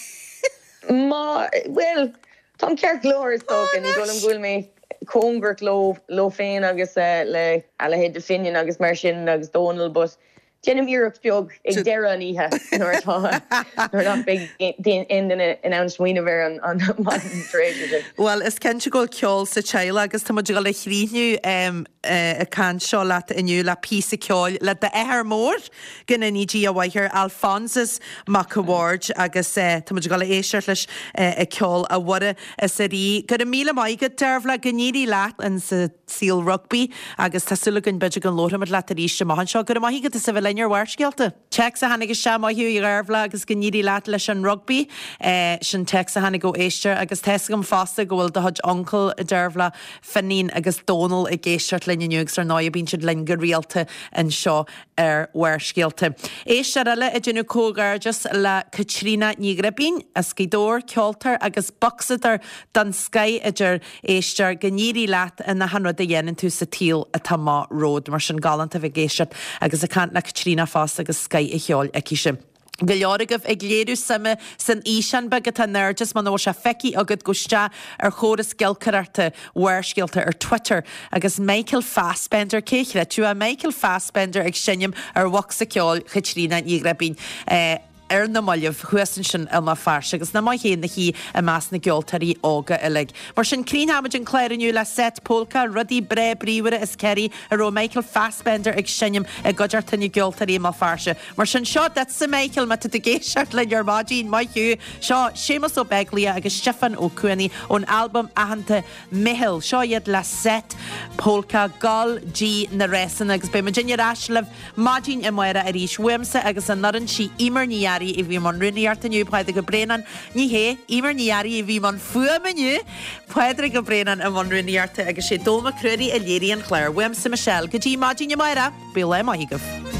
má, bhuel, táim ceart go leor is dócha, ní dóigh liom go bhfuil mé cóngarach leo, leo féin agus le a leithéid de Finian agus mar sin agus Dónal but déanaim iarracht beag ag deireadh an oíche nuair atá, nuair nach mbeidh aon duine in ann smaoineamh ar an an maidin tar éis sin. Bhuel, is cinnte go bhfuil ceol sa teaghlach agus tá muid ag dul a chríochnú an chaint seo leat inniu le píosa ceoil le d'athair mór. Go ndéanaí Dia a mhaith air, Alphonsus Mac a' Bhaird agus tá muid ag dul a éisteacht leis ag ceol A Mhuire is a Rí. Go raibh míle maith agat Dearbhla, go n-éirí leat in sa saol rugbaí agus tá súil againn b'fhéidir go labharfaimid leat arís amach anseo. Go raibh maith agat as a bheith linn. linn ar Bharrscéalta. Téacs a tháinig isteach, Maith thú a Dheirbhile agus go n-éirí leat leis an rugbaí. Sin téacs a tháinig ó éisteoir agus tá 'fhios agam fosta go bhfuil do chuid uncail, a Deirbhile, Finín agus Dónal ag éisteacht linn inniu agus ar ndóigh bíonn siad linn go rialta anseo ar Bharrscéalta. Éisteoir eile ag déanamh comhghairdeas le Caitríona Ní Ghribín as Gaoth Dobhair, ceoltóir agus bocsadóir den scoith a deir éisteoir, go n-éirí leat in achan rud a dhéanann tú sa tsaol atá amach romhat. Mar sin galánta a bheith ag éisteacht agus ag caint le Caitríona fosta agus scoith an cheoil aicise. Go leor agaibh ag léiriú suime san fhíseán beag atá in airde is muna bhfuil sé feicthe agat gabh isteach ar chóras giolcaireachta Bharrscéalta ar Twitter agus Michael Fassbender, cé a chreidfeadh é, Michael Fassbender ag seinm ar bhocsa ceoil Chaitríona Ní Ghribín. Ar na mallaibh, thuas ansin i mBéal Feirste, agus nach maith féin a hí i measc na gceoltóirí óga uilig. Mar sin, críochnóimid an clár inniu le seit polca, rudaí breá bríomhara is Kerry a raibh Michael Fassbender ag seinm i gcuideachta na gceoltóirí i mBéal Feirste. Mar sin, seo duitse, Michael, má tá tú ag éisteacht linn ar maidin, maith thú! Seo Séamus Ó Beaglaoich agus Stiofán Ó Cuanaigh ón albam aitheanta Meitheal. Seo iad le seit polca Gol dtí na Rásanna agus beidh muidinne ar ais libh maidin amárach arís. Uaimse agus an fhoireann sí Eimear Ní Fhearraigh a bhí i mbun rúnaíochta inniu, Pádraig Ó Braonáin, ní hé, Eimear Ní Fhearraigh a bhí i mbun fuaime inniu, Pádraig Ó Braonáin i mbun rúnaíochta agus sé Dónall Mac Ruairí a léirigh an clár. Uaimse Michelle, go dtí maidin amárach, bíodh lá maith agaibh.